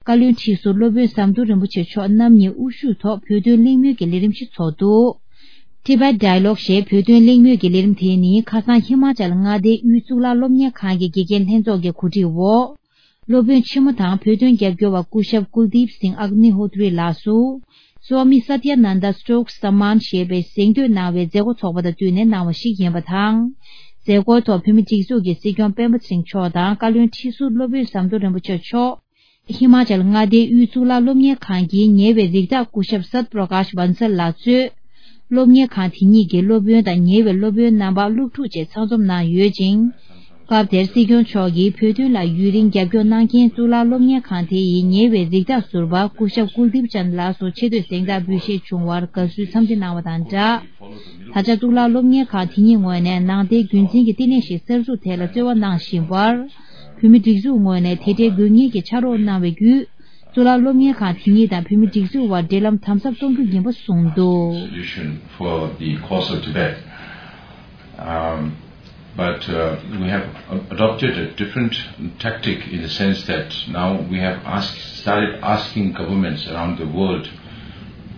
བཀའ་བློན་ཁྲི་ཟུར་སློབ་དཔོན་ཟམ་གདོང་རིན་པོ་ཆེ་མཆོག་རྣམ་གཉིས་དབུ་བཞུགས་ཐོག་བོད་དོན་གླེང་མོལ་གྱི་ལས་རིམ་ཞིག་ཚོགས་འདུག Tibet Dialogue ཞེས་བོད་དོན་གླེང་མོལ་གྱི་ལས་རིམ་དེ་ནི་ཁ་སང་ཧི་མ་ཅལ་མངའ་སྡེའི་དབུས་གཙུག་ལག་སློབ་གཉེར་ཁང་གི་དགེ་རྒན་ལྷན་ཚོགས་ཀྱི་གོ་སྒྲིག་འོག་སློབ་དཔོན་ཆེན་མོ་དང་བོད་དོན་རྒྱབ་སྐྱོར་བ་སྐུ་ཞབས་ཀུལ་དིབ་སིང་ཨག་ནི་ཧོ་ཏྲི་ལགས་སུ། སོ་མི་སཏྱ་ནན་ད་སྟོག་སྨན་ཞེས་པའི་གཟེངས་བསྟོད་གནང་བའི་མཛད་སྒོ་ཚོགས་པ་དང་བསྟུན་ནས་གནང་བ་ཞིག་ཡིན་པ་དང་། མཛད་སྒོའི་ཐོག་བོད་མིའི་སྒྲིག་འཛུགས་ཀྱི་སྲིད་སྐྱོང་སྤེན་པ་ཚེ་རིང་མཆོག་དང་བཀའ་བློན་ཁྲི་ཟུར་སློབ་དཔོན་ཟམ་གདོང་རིན་པོ་ཆེ་མཆོག་ཧི་མ་ཅལ་མངའ་སྡེའི་དབུས་གཙུག་ལག་སློབ་གཉེར་ཁང་གི་ཉེ་བའི་རིགས་བདག་སྐུ་ཞབས་སཏ་པྲ་ཀཱཤ་བན་སལ་ལགས་གཙོས། སློབ་གཉེར་ཁང་དེ་ཉིད་ཀྱི་སློབ་དཔོན་དང་ཉེ་བའི་སློབ་དཔོན་རྣམ་པ་སློབ་ཕྲུག་བཅས་ཚང་འཛོམས་གནང་ཡོད་ཅིང་། སྐབས་དེར་སྲིད་སྐྱོང་མཆོག་གིས་བོད་དོན་ལ་ཡུན་རིང་རྒྱབ་སྐྱོར་གནང་མཁན་གཙུག་ལག་སློབ་གཉེར་ཁང་དེ་ཡི་ཉེ་བའི་རིགས་བདག་ཟུར་པ་སྐུ་ཞབས་ཀུལ་དིབ་ཅན་ལགས་སུ་ཆེ་བསྟོད་གཟེངས་རྟགས་འབུལ་བཞེས་བྱུང་བར་དགའ་བསུའི་འཚམས་འདྲི་གནང་བ་དང་སྦྲགས། ད་ཆ་གཙུག་ལག་སློབ་གཉེར་ཁང་དེ་ཉིད་ངོས་ནས་ནང་བསྟན་རྒྱུན་འཛིན་གྱི་བསྟི་གནས་ཤིག་གསར་འཛུགས་ཐད་ལ་རྩོལ་བ་གནང་བཞིན་པར། བོད་མིའི་སྒྲིག་འཛུགས་ངོས་ནས་དེ་འབྲེལ་དགོས་ངེས་ཀྱི་ཕྱག་རོགས་གནང་བའི་བརྒྱུད། གཙུག་ལག་སློབ་གཉེར་ཁང་དེ་ཉིད་དང་བོད་མིའི་སྒྲིག་འཛུགས་དབར་འབྲེལ་ལམ་དམ་ཟབ་གཏོང་རྒྱུ་ཡིན་པ་གསུངས་འདུག Solution for the cause of Tibet. Um, but uh, we have adopted a different tactic in the sense that now we have asked, started asking governments around the world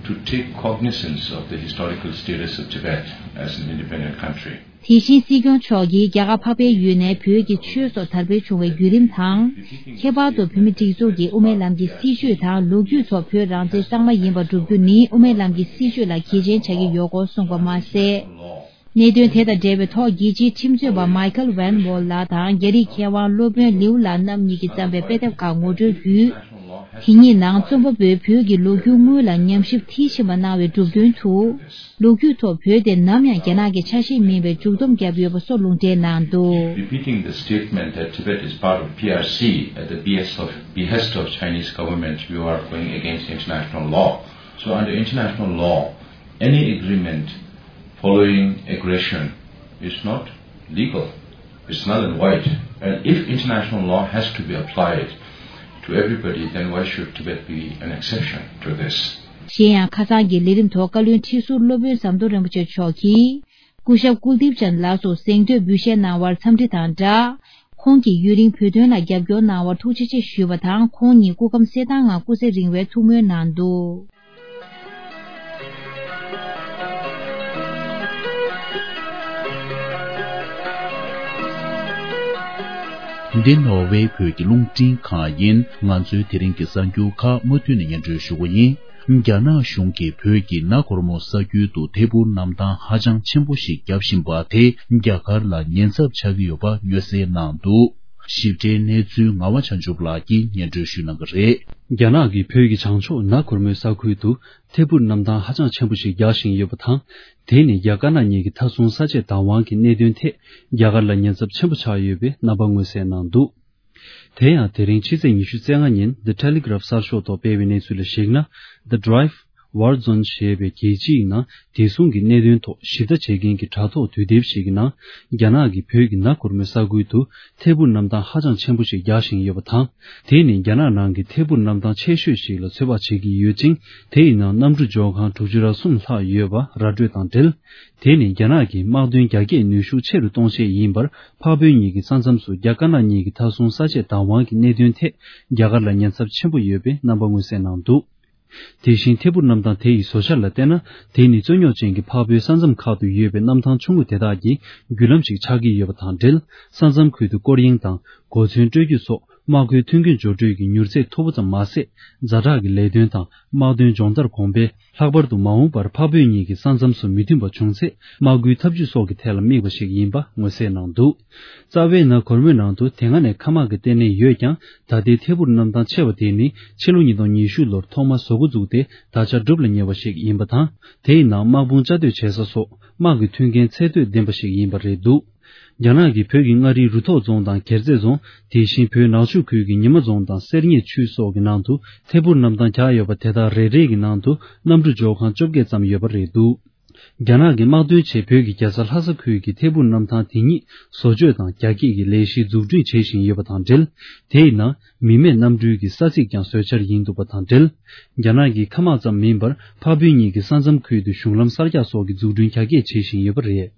to take cognizance of the historical status of Tibet as an independent country. དེ་བཞིན་སྲིད་སྐྱོང་མཆོག་གིས་རྒྱ་གར་འཕགས་པའི་ཡུལ་ནས་བོད་ཀྱི་ཆོས་སོགས་དར་སྤེལ་བྱུང་བའི་བརྒྱུད་རིམ་དང་། ཁྱད་པར་དུ་བོད་མི་སྒྲིག་འཛུགས་ཀྱིས་དབུ་མའི་ལམ་གྱི་སྲིད་བྱུས་དང་ལོ་རྒྱུས་ཐོག་བོད་རང་བཙན་གཙང་མ་ཡིན་པར་སྒྲུབ་རྒྱུ་ནི་དབུ་མའི་ལམ་གྱི་སྲིད་བྱུས་ལ་གལ་ཆེན་ཆགས་ཀྱི་ཡོད་སྐོར་གསུངས་པ་མ་ཟད། གནད་དོན་དེ་དང་འབྲེལ་བའི་ཐོག་རྒྱལ་སྤྱིའི་ཁྲིམས་རྩོད་པ་མའི་ཁལ་ཝན་ཝོལ་ལགས་དང་རྒྱ་རིགས་མཁས་དབང་སློབ་དཔོན་ལིའུ་ལགས་རྣམ་གཉིས་ཀྱིས་བརྩམས་པའི་དཔེ་དེབ་ཁག་ངོ་སྤྲོད་བརྒྱུད། དེ་ཉིད་ནང་རྩོམ་པ་པོས་བོད་ཀྱི་ལོ་རྒྱུས་དངོས་ལ་ཉམས་ཞིབ་མཐིལ་ཕྱིན་པ་གནང་བའི་གྲུབ་དོན་དུ། ལོ་རྒྱུས་ཐོག་བོད་དེ་ནམ་ཡང་རྒྱ་ནག་གི་ཆ་ཤས་མིན་པའི་མཇུག་སྡོམ་བརྒྱབ་ཡོད་པ་སོགས་ལུང་འདྲེན་གནང་འདུག Repeating the statement that Tibet is part of P R C at the behest of, behest of Chinese government, you are going against international law. So under international law, any agreement following aggression is not legal. It's null and void. And if international law has to be applied to everybody, then why should Tibet be an exception to this? གཞན་ཡང་ཁ་སང་གི་ལས་རིམ་ཐོག་བཀའ་བློན་ཁྲི་ཟུར་སློབ་དཔོན་ཟམ་གདོང་རིན་པོ་ཆེ་མཆོག་གིས། སྐུ་ཞབས་ཀུལ་དིབ་ཅན་ལགས་སུ་གཟེངས་བསྟོད་འབུལ་བཞེས་གནང་བར་འཚམས་འདྲི་དང་སྦྲགས། ཁོང་གིས་ཡུན་རིང་བོད་དོན་ལ་རྒྱབ་སྐྱོར་གནང་བར་ཐུགས་རྗེ་ཆེ་ཞུས་པ་དང་། ཁོང་ཉིད་སྐུ་ཁམས་གསལ་ཐང་ངང་སྐུ་ཚེ་རིང་བའི་ཐུགས་སྨོན་གནང་འདུག་འདི་ནོར་ཝེ་བོད་ཀྱི་རླུང་འཕྲིན་ཁང་ཡིན། ང་ཚོའི་དེ་རིང་གི་གསར་འགྱུར་ཁག་མུ་མཐུད་ནས་སྙན་སྒྲོན་ཞུ་གི་ཡིན། རྒྱ་ནག་གཞུང་གིས་བོད་ཀྱི་ན་གོར་མོ་ས་ཁུལ་དུ་ཐད་འཕུར་གནམ་ཐང་ཧ་ཅང་ཆེན་པོ་ཞིག་བརྒྱབ་བཞིན་པ་དེ་རྒྱ་གར་ལ་ཉེན་ཚབས་ཆགས་ཀྱི་ཡོད་པ་མངོན་གསལ་གནང་འདུག་ཞིབ་ཕྲའི་གནས་ཚུལ་ངག་དབང་བྱང་ཆུབ་ལགས་ཀྱིས་སྙན་སྒྲོན་ཞུ་གནང་གི་རེད། རྒྱ་ནག་གིས་བོད་ཀྱི་བྱང་ཕྱོགས་ན་གོར་མོའི་ས་ཁུལ་དུ་ཐད་འཕུར་གནམ་ཐང་ཧ་ཅང་ཆེན་པོ་ཞིག་རྒྱག་བཞིན་ཡོད་པ་དང་། དེ་ནི་རྒྱ་དཀར་ནག་གཉིས་ཀྱི་མཐའ་སྲུང་ས་ཆས་བདག་དབང་གི་གནད་དོན་ཐད་རྒྱ་གར་ལ་ཉེན་ཚབས་ཆེན་པོ་ཆགས་ཡོད་པའི་རྣམ་པ་མངོན་གསལ་གནང་འདུག་དེ་ཡང་དེ་རིང་ཕྱི་ཚེས་ཉི་ཤུ་རྩ་ལྔ་ཉིན་The Telegraph གསར་ཤོག་ཐོག་སྤེལ་བའི་གནས་ཚུལ་ལ་གཞིགས་ན། The Drive War Zone ཞེས་པའི་རྒྱལ་སྤྱིའི་ནང་བདེ་སྲུང་གི་གནད་དོན་ཐོག་ཞིབ་ལྟ་བྱེད་མཁན་གྱི་དྲ་ཐོག་དུས་དེབ་ཞིག་གི་ནང་། རྒྱ་ནག་གིས་བོད་ཀྱི་ན་གོར་མོའི་ས་ཁུལ་དུ་ཐད་འཕུར་གནམ་ཐང་ཧ་ཅང་ཆེན་པོ་ཞིག་རྒྱག་བཞིན་ཡོད་པ་དང་། དེ་ནི་རྒྱ་ནག་ནང་གི་ཐད་འཕུར་གནམ་ཐང་ཆེ་ཤོས་ཤིག་ལ་ཚོད་དཔག་བྱེད་ཀྱི་ཡོད་ཅིང་། དེ་ཡི་ནང་གནམ་གྲུ་འབྱོར་ཁང་དྲུག་ཅུ་རེ་གསུམ་ལྷག་ཡོད་པ་ར་སྤྲོད་དང་འབྲེལ། དེ་ནི་རྒྱ་ནག་གི་དམག་དོན་རྒྱ་སྐྱེད་ནུས་ཤུགས་ཆེ་རུ་གཏོང་ཆེད་ཡིན་པར། འཕགས་བོད་གཉིས་ཀྱི་ས་མཚམས་སུ་རྒྱ་དཀར་ནག་གཉིས་ཀྱི་མཐའ་སྲུང་ས་ཆས་བདག་དབང་གི་གནད་དོན་ཐད་རྒྱ་གར་ལ་ཉེན་ཚབས་ཆེན་པོ་ཡོད་པའི་རྣམ་པ་མངོན་གསལ་གནང་འདུག་དེ་བཞིན་ཐད་འཕུར་གནམ་ཐང་དེ་ཡི་བཟོ་འཆར་ལ་བལྟས་ན། དེ་ནི་རྩོད་རྙོག་ཅན་གྱི་འཕགས་བོད་ས་མཚམས་ཁག་ཏུ་ཡོད་པའི་གནམ་ཐང་ཆུང་ངུ་དེ་དག་གི་བརྒྱུད་ལམ་ཞིག་ཆགས་ཀྱི་ཡོད་པ་དང་འབྲེལ། ས་མཚམས་ཁུལ་དུ་སྐོར་གཡེང་དང་གོ་མཚོན་སྤྲོད་རྒྱུ་སོགས་དམག་སྒོའི་མཐུན་རྐྱེན་སྦྱོར་སྤྲོད་ཀྱི་མྱུར་ཚད་མཐོ་པོ་ཙམ་མ་ཟད། ཛ་དྲག་གི་ལས་དོན་དང་དམག་དོན་སྦྱོང་བརྡར་གོང་འཕེལ། ལྷག་པར་དུ་མ་འོངས་པར་འཕགས་བོད་གཉིས་ཀྱི་ས་མཚམས་སུ་མི་མཐུན་པ་བྱུང་ཚེ། དམག་སྒོའི་ཐབས་ཇུས་སོགས་ཀྱི་ཐད་ལ་དམིགས་པ་ཞིག་ཡིན་པ་མངོན་གསལ་གནང་འདུག་རྩ་བའི་ན་གོར་མོའི་ནང་དུ་དེ་སྔ་ནས་མཁའ་དམག་གི་ལྟེ་གནས་ཡོད་ཀྱང་། ད་ལྟའི་ཐད་འཕུར་གནམ་ཐང་ཆེ་བ་དེ་ནི་ཕྱི་ལོ་ཉིས་སྟོང་ཉི་ཤུ་ལོར་ཐོག་མར་བཟོ་འགོ་བཙུགས་ཏེ་ད་ཆ་སྒྲུབ་ལ་ཉེ་བ་ཞིག་ཡིན་པ་དང་། དེའི་ནང་དམག་དཔུང་བཅའ་སྡོད་བྱེད་ས་སོགས་དམག་གི་མཐུན་རྐྱེན་ཚད་མཐོས་ལྡན་པ་ཞིག་ཡིན་པ་རེད་འདུག་རྒྱ་ནག་གིས་བོད་ཀྱི་མངའ་རིས་རུ་ཐོག་རྫོང་དང་སྒེར་རྩེ་རྫོང་། དེ་བཞིན་བོད་ནག་ཆུ་ཁུལ་གྱི་ཉི་མ་རྫོང་དང་གསེར་རྙེད་ཆུས་སོགས་ཀྱི་ནང་དུ་ཐད་འཕུར་གནམ་ཐང་རྒྱག་ཡོད་པ་དེ་དག་རེ་རེ་གི་ནང་དུ་གནམ་གྲུ་འབྱོར་ཁང་བཅོ་བརྒྱད་ཙམ་ཡོད་པ་རེད་འདུག་རྒྱ་ནག་གི་དམག་དོན་ཆེད་བོད་ཀྱི་རྒྱལ་ས་ལྷ་ས་ཁུལ་གྱི་ཐད་འཕུར་གནམ་ཐང་དེ་ཉིད་བཟོ་བཅོས་དང་རྒྱ་སྐྱེད་ཀྱི་ལས་གཞི་འཛུགས་སྐྲུན་བྱེད་བཞིན་ཡོད་པ་དང་འབྲེལ། དེའི་ནང་མི་མེད་གནམ་གྲུའི་གི་ས་ཚིགས་ཀྱང་བཟོས་འཆར་ཡིན་འདུག་པ་དང་འབྲེལ། རྒྱ་ནག་གི་མཁའ་དམག་ཙམ་མིན་པར་འཕགས་བོད་གཉིས་ཀྱི་ས་མཚམས་ཁུལ་དུ་གཞུང་ལམ་གསར་རྒྱག་སོགས་ཀྱི་འཛུགས་སྐྲུན་རྒྱ་སྐྱེད་བྱེད་བཞིན་ཡོད་པ་རེད།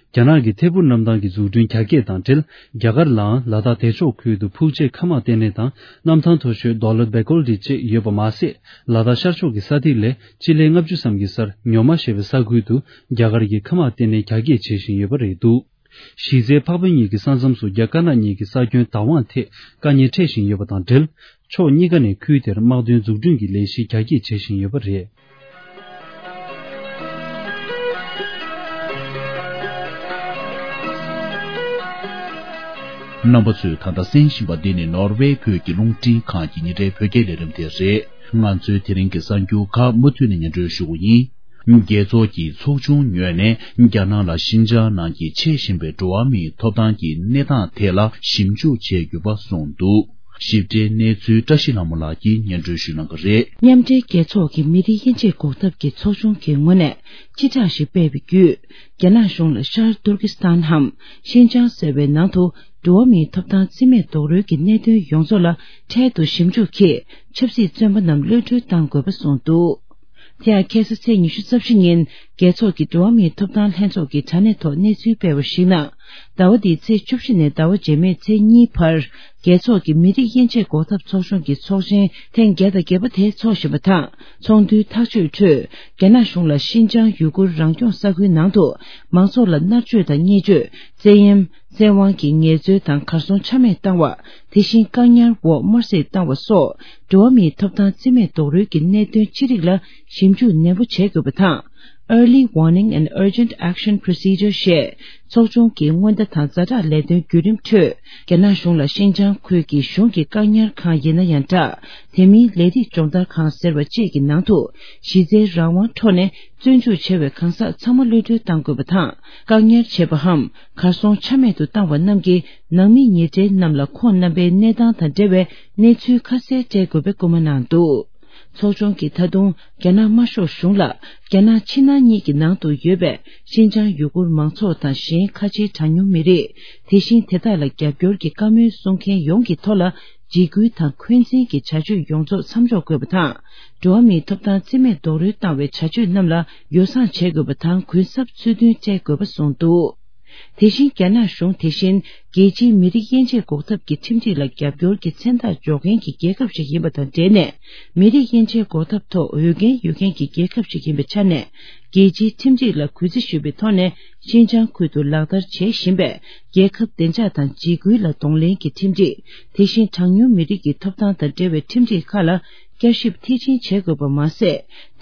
རྒྱ་ནག་གི་ཐད་འཕུར་གནམ་ཐང་གི་འཛུགས་སྐྲུན་རྒྱ་སྐྱེད་དང་འབྲེལ། རྒྱ་གར་ལའང་ལ་དྭགས་བདེ་མཆོག་ཁུལ་དུ་ཕུག་བྱེད་མཁའ་དམག་ལྟེ་གནས་དང་། གནམ་ཐང་མཐོ་ཤོས་Dawlat Bakoldi བཅས་ཡོད་པ་མ་ཟད། ལ་དྭགས་ཤར་ཕྱོགས་ཀྱི་ས་ཐིག་ལས་སྤྱི་ལེ་ལྔ་བཅུ་ཙམ་གྱི་སར་ཉོ་མ་ཞེས་པའི་ས་ཁུལ་དུ་རྒྱ་གར་གྱི་མཁའ་དམག་ལྟེ་གནས་རྒྱ་སྐྱེད་བྱེད་བཞིན་ཡོད་པ་རེད་འདུག་གཞི་རྩའི་འཕགས་བོད་གཉིས་ཀྱི་ས་མཚམས་སུ་རྒྱ་དཀར་ནག་གཉིས་ཀྱི་ས་ཁྱོན་བདག་དབང་ཐད་དཀའ་ངལ་འཕྲད་བཞིན་ཡོད་པ་དང་འབྲེལ། ཕྱོགས་གཉིས་ཀ་ནས་ཁུལ་དེར་དམག་དོན་འཛུགས་སྐྲུན་གྱི་ལས་གཞི་རྒྱ་སྐྱེད་བྱེད་བཞིན་ཡོད་པ་རེད། རྣམ་པ་ཚོས་ད་ལྟ་གསན་བཞིན་པ་འདི་ནི་ནོར་ཝེ་བོད་ཀྱི་རླུང་འཕྲིན་ཁང་གི་ཉིན་རེའི་བོད་སྐད་ལས་རིམ་དེ་རེད། ང་ཚོའི་དེ་རིང་གི་གསར་འགྱུར་ཁག་མུ་མཐུད་ནས་སྙན་སྒྲོན་ཞུ་གི་ཡིན། རྒྱལ་ཚོགས་ཀྱི་ཚོགས་ཆུང་ངོས་ནས་རྒྱ་ནག་ལ་ཤིན་ཅང་ནང་གི་འཕྱད་བཞིན་པའི་འགྲོ་བ་མིའི་ཐོབ་ཐང་གི་གནས་སྟངས་ཐད་ལ་ཞིབ་འཇུག་བྱས་ཡོད་པ་གསུངས་འདུག་ཞིབ་ཕྲའི་གནས་ཚུལ་བཀྲ་ཤིས་ལྷ་མོ་ལགས་ཀྱིས་སྙན་སྒྲོན་ཞུ་གནང་གི་རེད། མཉམ་འབྲེལ་རྒྱལ་ཚོགས་ཀྱི་མི་སྡེ་དབྱེ་འབྱེད་འགོག་ཐབས་ཀྱི་ཚོགས་ཆུང་གི་ངོས་ནས་སྤྱི་བསྒྲགས་ཤིག་སྤེལ་བའི་བརྒྱུད། རྒྱ་ནག་གཞུང་ལ་ཤར་ཏུར་ཀི་སི་ཐན་འམ་ཤིན་ཅང་ཟེར་བའི་ནང་དུ་འགྲོ་བ་མིའི་ཐོབ་ཐང་རྩིས་མེད་རྡོག་རོལ་གྱི་གནད་དོན་ཡོངས་རྫོགས་ལ་འཕྲལ་དུ་ཞིབ་འཇུག་གིས་ཆབ་སྲིད་བཙོན་པ་རྣམས་གློད་གྲོལ་གཏང་དགོས་པ་གསུངས་འདུག་དེ་ཡང་ཁ་སང་ཚེས་ཉི་ཤུ་རྩ་བཞི་ཉིན་རྒྱལ་ཚོགས་ཀྱི་འགྲོ་བ་མིའི་ཐོབ་ཐང་ལྷན་ཚོགས་ཀྱི་དྲ་གནས་ཐོག་གནས་ཚུལ་སྤེལ་བར་གཞིགས་ན། ཟླ་བ་འདིའི་ཚེས་བཅུ་བཞི་ནས་ཟླ་བ་རྗེས་མའི་ཚེས་གཉིས་བར་རྒྱལ་ཚོགས་ཀྱི་མི་རིགས་དབྱེ་འབྱེད་འགོག་ཐབས་ཚོགས་ཆུང་གི་ཚོགས་ཆེན་ཐེངས་བརྒྱ་དང་བརྒྱད་པ་དེ་འཚོགས་བཞིན་པ་དང་། ཚོགས་འདུའི་ཐག་གཅོད་ཁྲོད་རྒྱ་ནག་གཞུང་ལ་ཤིན་ཅང་ཡུ་གུར་རང་སྐྱོང་ས་ཁུལ་ནང་དུ་མང་ཚོགས་ལ་མནར་གཅོད་དང་བརྙས་བཅོས། བཙན་གཡེམ། བཙན་དབང་གི་ངལ་རྩོལ་དང་གར་སོང་ཆ་མེད་བཏང་བ། དེ་བཞིན་བཀག་ཉར་འོག་དམར་གསོད་བཏང་བ་སོགས་འགྲོ་བ་མིའི་ཐོབ་ཐང་རྩིས་མེད་རྡོག་རོལ་གྱི་གནད་དོན་ཅི་རིགས་ལ་ཞིབ་འཇུག་ནན་པོ་བྱེད་དགོས་པ་དང་། Early Warning and Urgent Action Procedure ཞེས་ཚོགས་ཆུང་གི་སྔོན་བརྡ་དང་ཛ་དྲག་ལས་དོན་བརྒྱུད་རིམ་ཁྲོད། རྒྱ་ནག་གཞུང་ལ་ཤིན་ཅང་ཁུལ་གྱི་གཞུང་གི་བཀག་ཉར་ཁང་ཡིན་ན་ཡང་འདྲ། དེ་མིན་ལས་རིགས་སྦྱོང་བརྡར་ཁང་ཟེར་བ་བཅས་ཀྱི་ནང་དུ་གཞི་རྩའི་རང་དབང་འཕྲོག་ནས། བཙོན་འཇུག་བྱས་པའི་གང་ཟག་ཚང་མ་གློད་གྲོལ་གཏང་དགོས་པ་དང་། བཀག་ཉར་བྱས་པའམ་གར་སོང་ཆ་མེད་དུ་བཏང་བ་རྣམས་ཀྱི་ནང་མི་ཉེ་འབྲེལ་རྣམས་ལ་ཁོང་རྣམ་པའི་གནས་སྟངས་དང་འབྲེལ་བའི་གནས་ཚུལ་ཁ་གསལ་སྤྲད་དགོས་པའི་སྐུལ་མ་གནང་འདུག་ཚོགས་ཆུང་གིས་ད་དུང་རྒྱ་ནག་དམར་ཤོག་གཞུང་ལ་རྒྱ་ནག་ཕྱི་ནང་གཉིས་ཀྱི་ནང་དུ་ཡོད་པའི་ཤིན་ཅང་ཡུ་གུར་མང་ཚོགས་དང་གཞན་ཁ་ཆེའི་གྲངས་ཉུང་མི་རིགས། དེ་བཞིན་དེ་དག་ལ་རྒྱབ་སྐྱོར་གྱི་བཀའ་མོལ་གསུང་མཁན་ཡོངས་ཀྱི་ཐོག་ལ། འཇིགས་སྐུལ་དང་འཁོན་འཛིན་གྱི་བྱ་སྤྱོད་ཡོངས་རྫོགས་མཚམས་འཇོག་དགོས་པ་དང་། འགྲོ་བ་མིའི་ཐོབ་ཐང་རྩིས་མེད་རྡོག་རོལ་བཏང་བའི་བྱ་སྤྱོད་རྣམས་ལ་ཡོ་བསྲང་བྱེད་དགོས་པ་དང་། གུན་གསབ་ཚུལ་མཐུན་སྤྲད་དགོས་པ་གསུངས་འདུག་དེ་བཞིན་རྒྱ་ནག་གཞུང་དེ་བཞིན་རྒྱལ་སྤྱིའི་མི་རིགས་དབྱེ་འབྱེད་འགོག་ཐབས་ཀྱི་ཁྲིམས་སྒྲིག་ལ་རྒྱབ་སྐྱོར་གྱི་མཚན་རྟགས་འཇོག་མཁན་གྱི་རྒྱལ་ཁབ་ཞིག་ཡིན་པ་དང་འབྲེལ་ནས། མི་རིགས་དབྱེ་འབྱེད་འགོག་ཐབས་ཐོག་འོས་འགན་ཡོད་མཁན་གྱི་རྒྱལ་ཁབ་ཞིག་ཡིན་པའི་ཆ་ནས། རྒྱལ་སྤྱིའི་ཁྲིམས་སྒྲིག་ལ་གུས་བརྩི་ཞུ་བའི་ཐོག་ནས། ཤིན་ཅང་ཁུལ་དུ་ལག་བསྟར་བྱེད་བཞིན་པའི་རྒྱལ་ཁབ་བདེ་འཇགས་དང་འཇིགས་སྐུལ་ལ་གདོང་ལེན་གྱི་ཁྲིམས་སྒྲིག་དེ་བཞིན་གྲངས་ཉུང་མི་རིགས་ཀྱི་ཐོབ་ཐང་དང་འབྲེལ་བའི་ཁྲིམས་སྒྲིག་ཁག་ལ་བསྐྱར་ཞིབ་མཐིལ་ཕྱིན་བྱེད་དགོས་པ་མ་ཟད།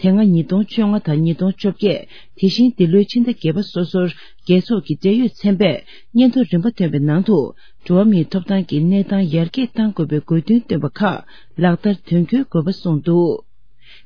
དེ་སྔ་ཉིས་སྟོང་བཅོ་ལྔ་དང་ཉིས་སྟོང་བཅོ་བརྒྱད། དེ་བཞིན་འདི་ལོའི་ཕྱི་ཟླ་བརྒྱད་པ་སོ་སོར་རྒྱལ་ཚོགས་ཀྱི་འབྲེལ་ཡོད་ཚན་པས་སྙན་ཐོ་རིམ་པ་བཏོན་པའི་ནང་དུ། འགྲོ་བ་མིའི་ཐོབ་ཐང་གི་གནས་སྟངས་ཡར་རྒྱས་གཏང་དགོས་པའི་དགོས་འདུན་བཏོན་པ་ཁག་ལག་བསྟར་དོན་འཁྱོལ་དགོས་པ་གསུངས་འདུག་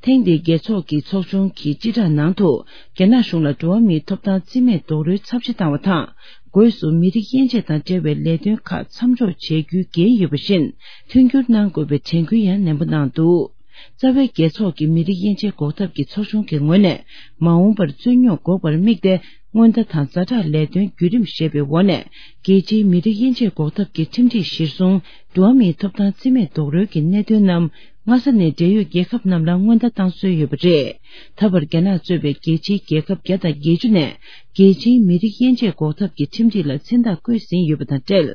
ཐེངས་འདིའི་རྒྱལ་ཚོགས་ཀྱི་ཚོགས་ཆུང་གི་སྤྱི་བསྒྲགས་ནང་དུ། རྒྱ་ནག་གཞུང་ལ་འགྲོ་བ་མིའི་ཐོབ་ཐང་རྩིས་མེད་རྡོག་རོལ་ཚབས་ཆེ་བཏང་བ་དང་། སྒོས་སུ་མི་རིགས་དབྱེ་འབྱེད་དང་འབྲེལ་བའི་ལས་དོན་ཁག་མཚམས་འཇོག་བྱེད་རྒྱུའི་འགན་ཡོད་པ་བཞིན། མཐུན་འགྱུར་གནང་དགོས་པའི་དྲན་སྐུལ་ཡང་ནན་པོ་གནང་འདུག་རྩ་བའི་རྒྱལ་ཚོགས་ཀྱི་མི་རིགས་དབྱེ་འབྱེད་འགོག་ཐབས་ཀྱི་ཚོགས་ཆུང་གི་ངོས་ནས། མ་འོངས་པར་རྩོད་རྙོག་འགོག་པར་དམིགས་ཏེ། སྔོན་བརྡ་དང་ཛ་དྲག་ལས་དོན་བརྒྱུད་རིམ་ཞེས་པའི་འོག་ནས། རྒྱལ་སྤྱིའི་མི་རིགས་དབྱེ་འབྱེད་འགོག་ཐབས་ཀྱི་ཁྲིམས་སྒྲིག་གཞིར་བཟུང་། འགྲོ་བ་མིའི་ཐོབ་ཐང་རྩིས་མེད་རྡོག་རོལ་གྱི་གནད་དོན་རྣམས། སྔ་ས་ནས་འབྲེལ་ཡོད་རྒྱལ་ཁབ་རྣམས་ལ་སྔོན་བརྡ་བཏང་སྲོལ་ཡོད་པ་རེད། ད་བར་རྒྱ་ནག་གཙོས་པའི་རྒྱལ་སྤྱིའི་རྒྱལ་ཁབ་བརྒྱ་དང་བརྒྱད་ཅུ་ནས། རྒྱལ་སྤྱིའི་མི་རིགས་དབྱེ་འབྱེད་འགོག་ཐབས་ཀྱི་ཁྲིམས་སྒྲིག་ལ་མཚན་རྟགས་བཀོད་ཟིན་ཡོད་པ་དང་འབྲེལ།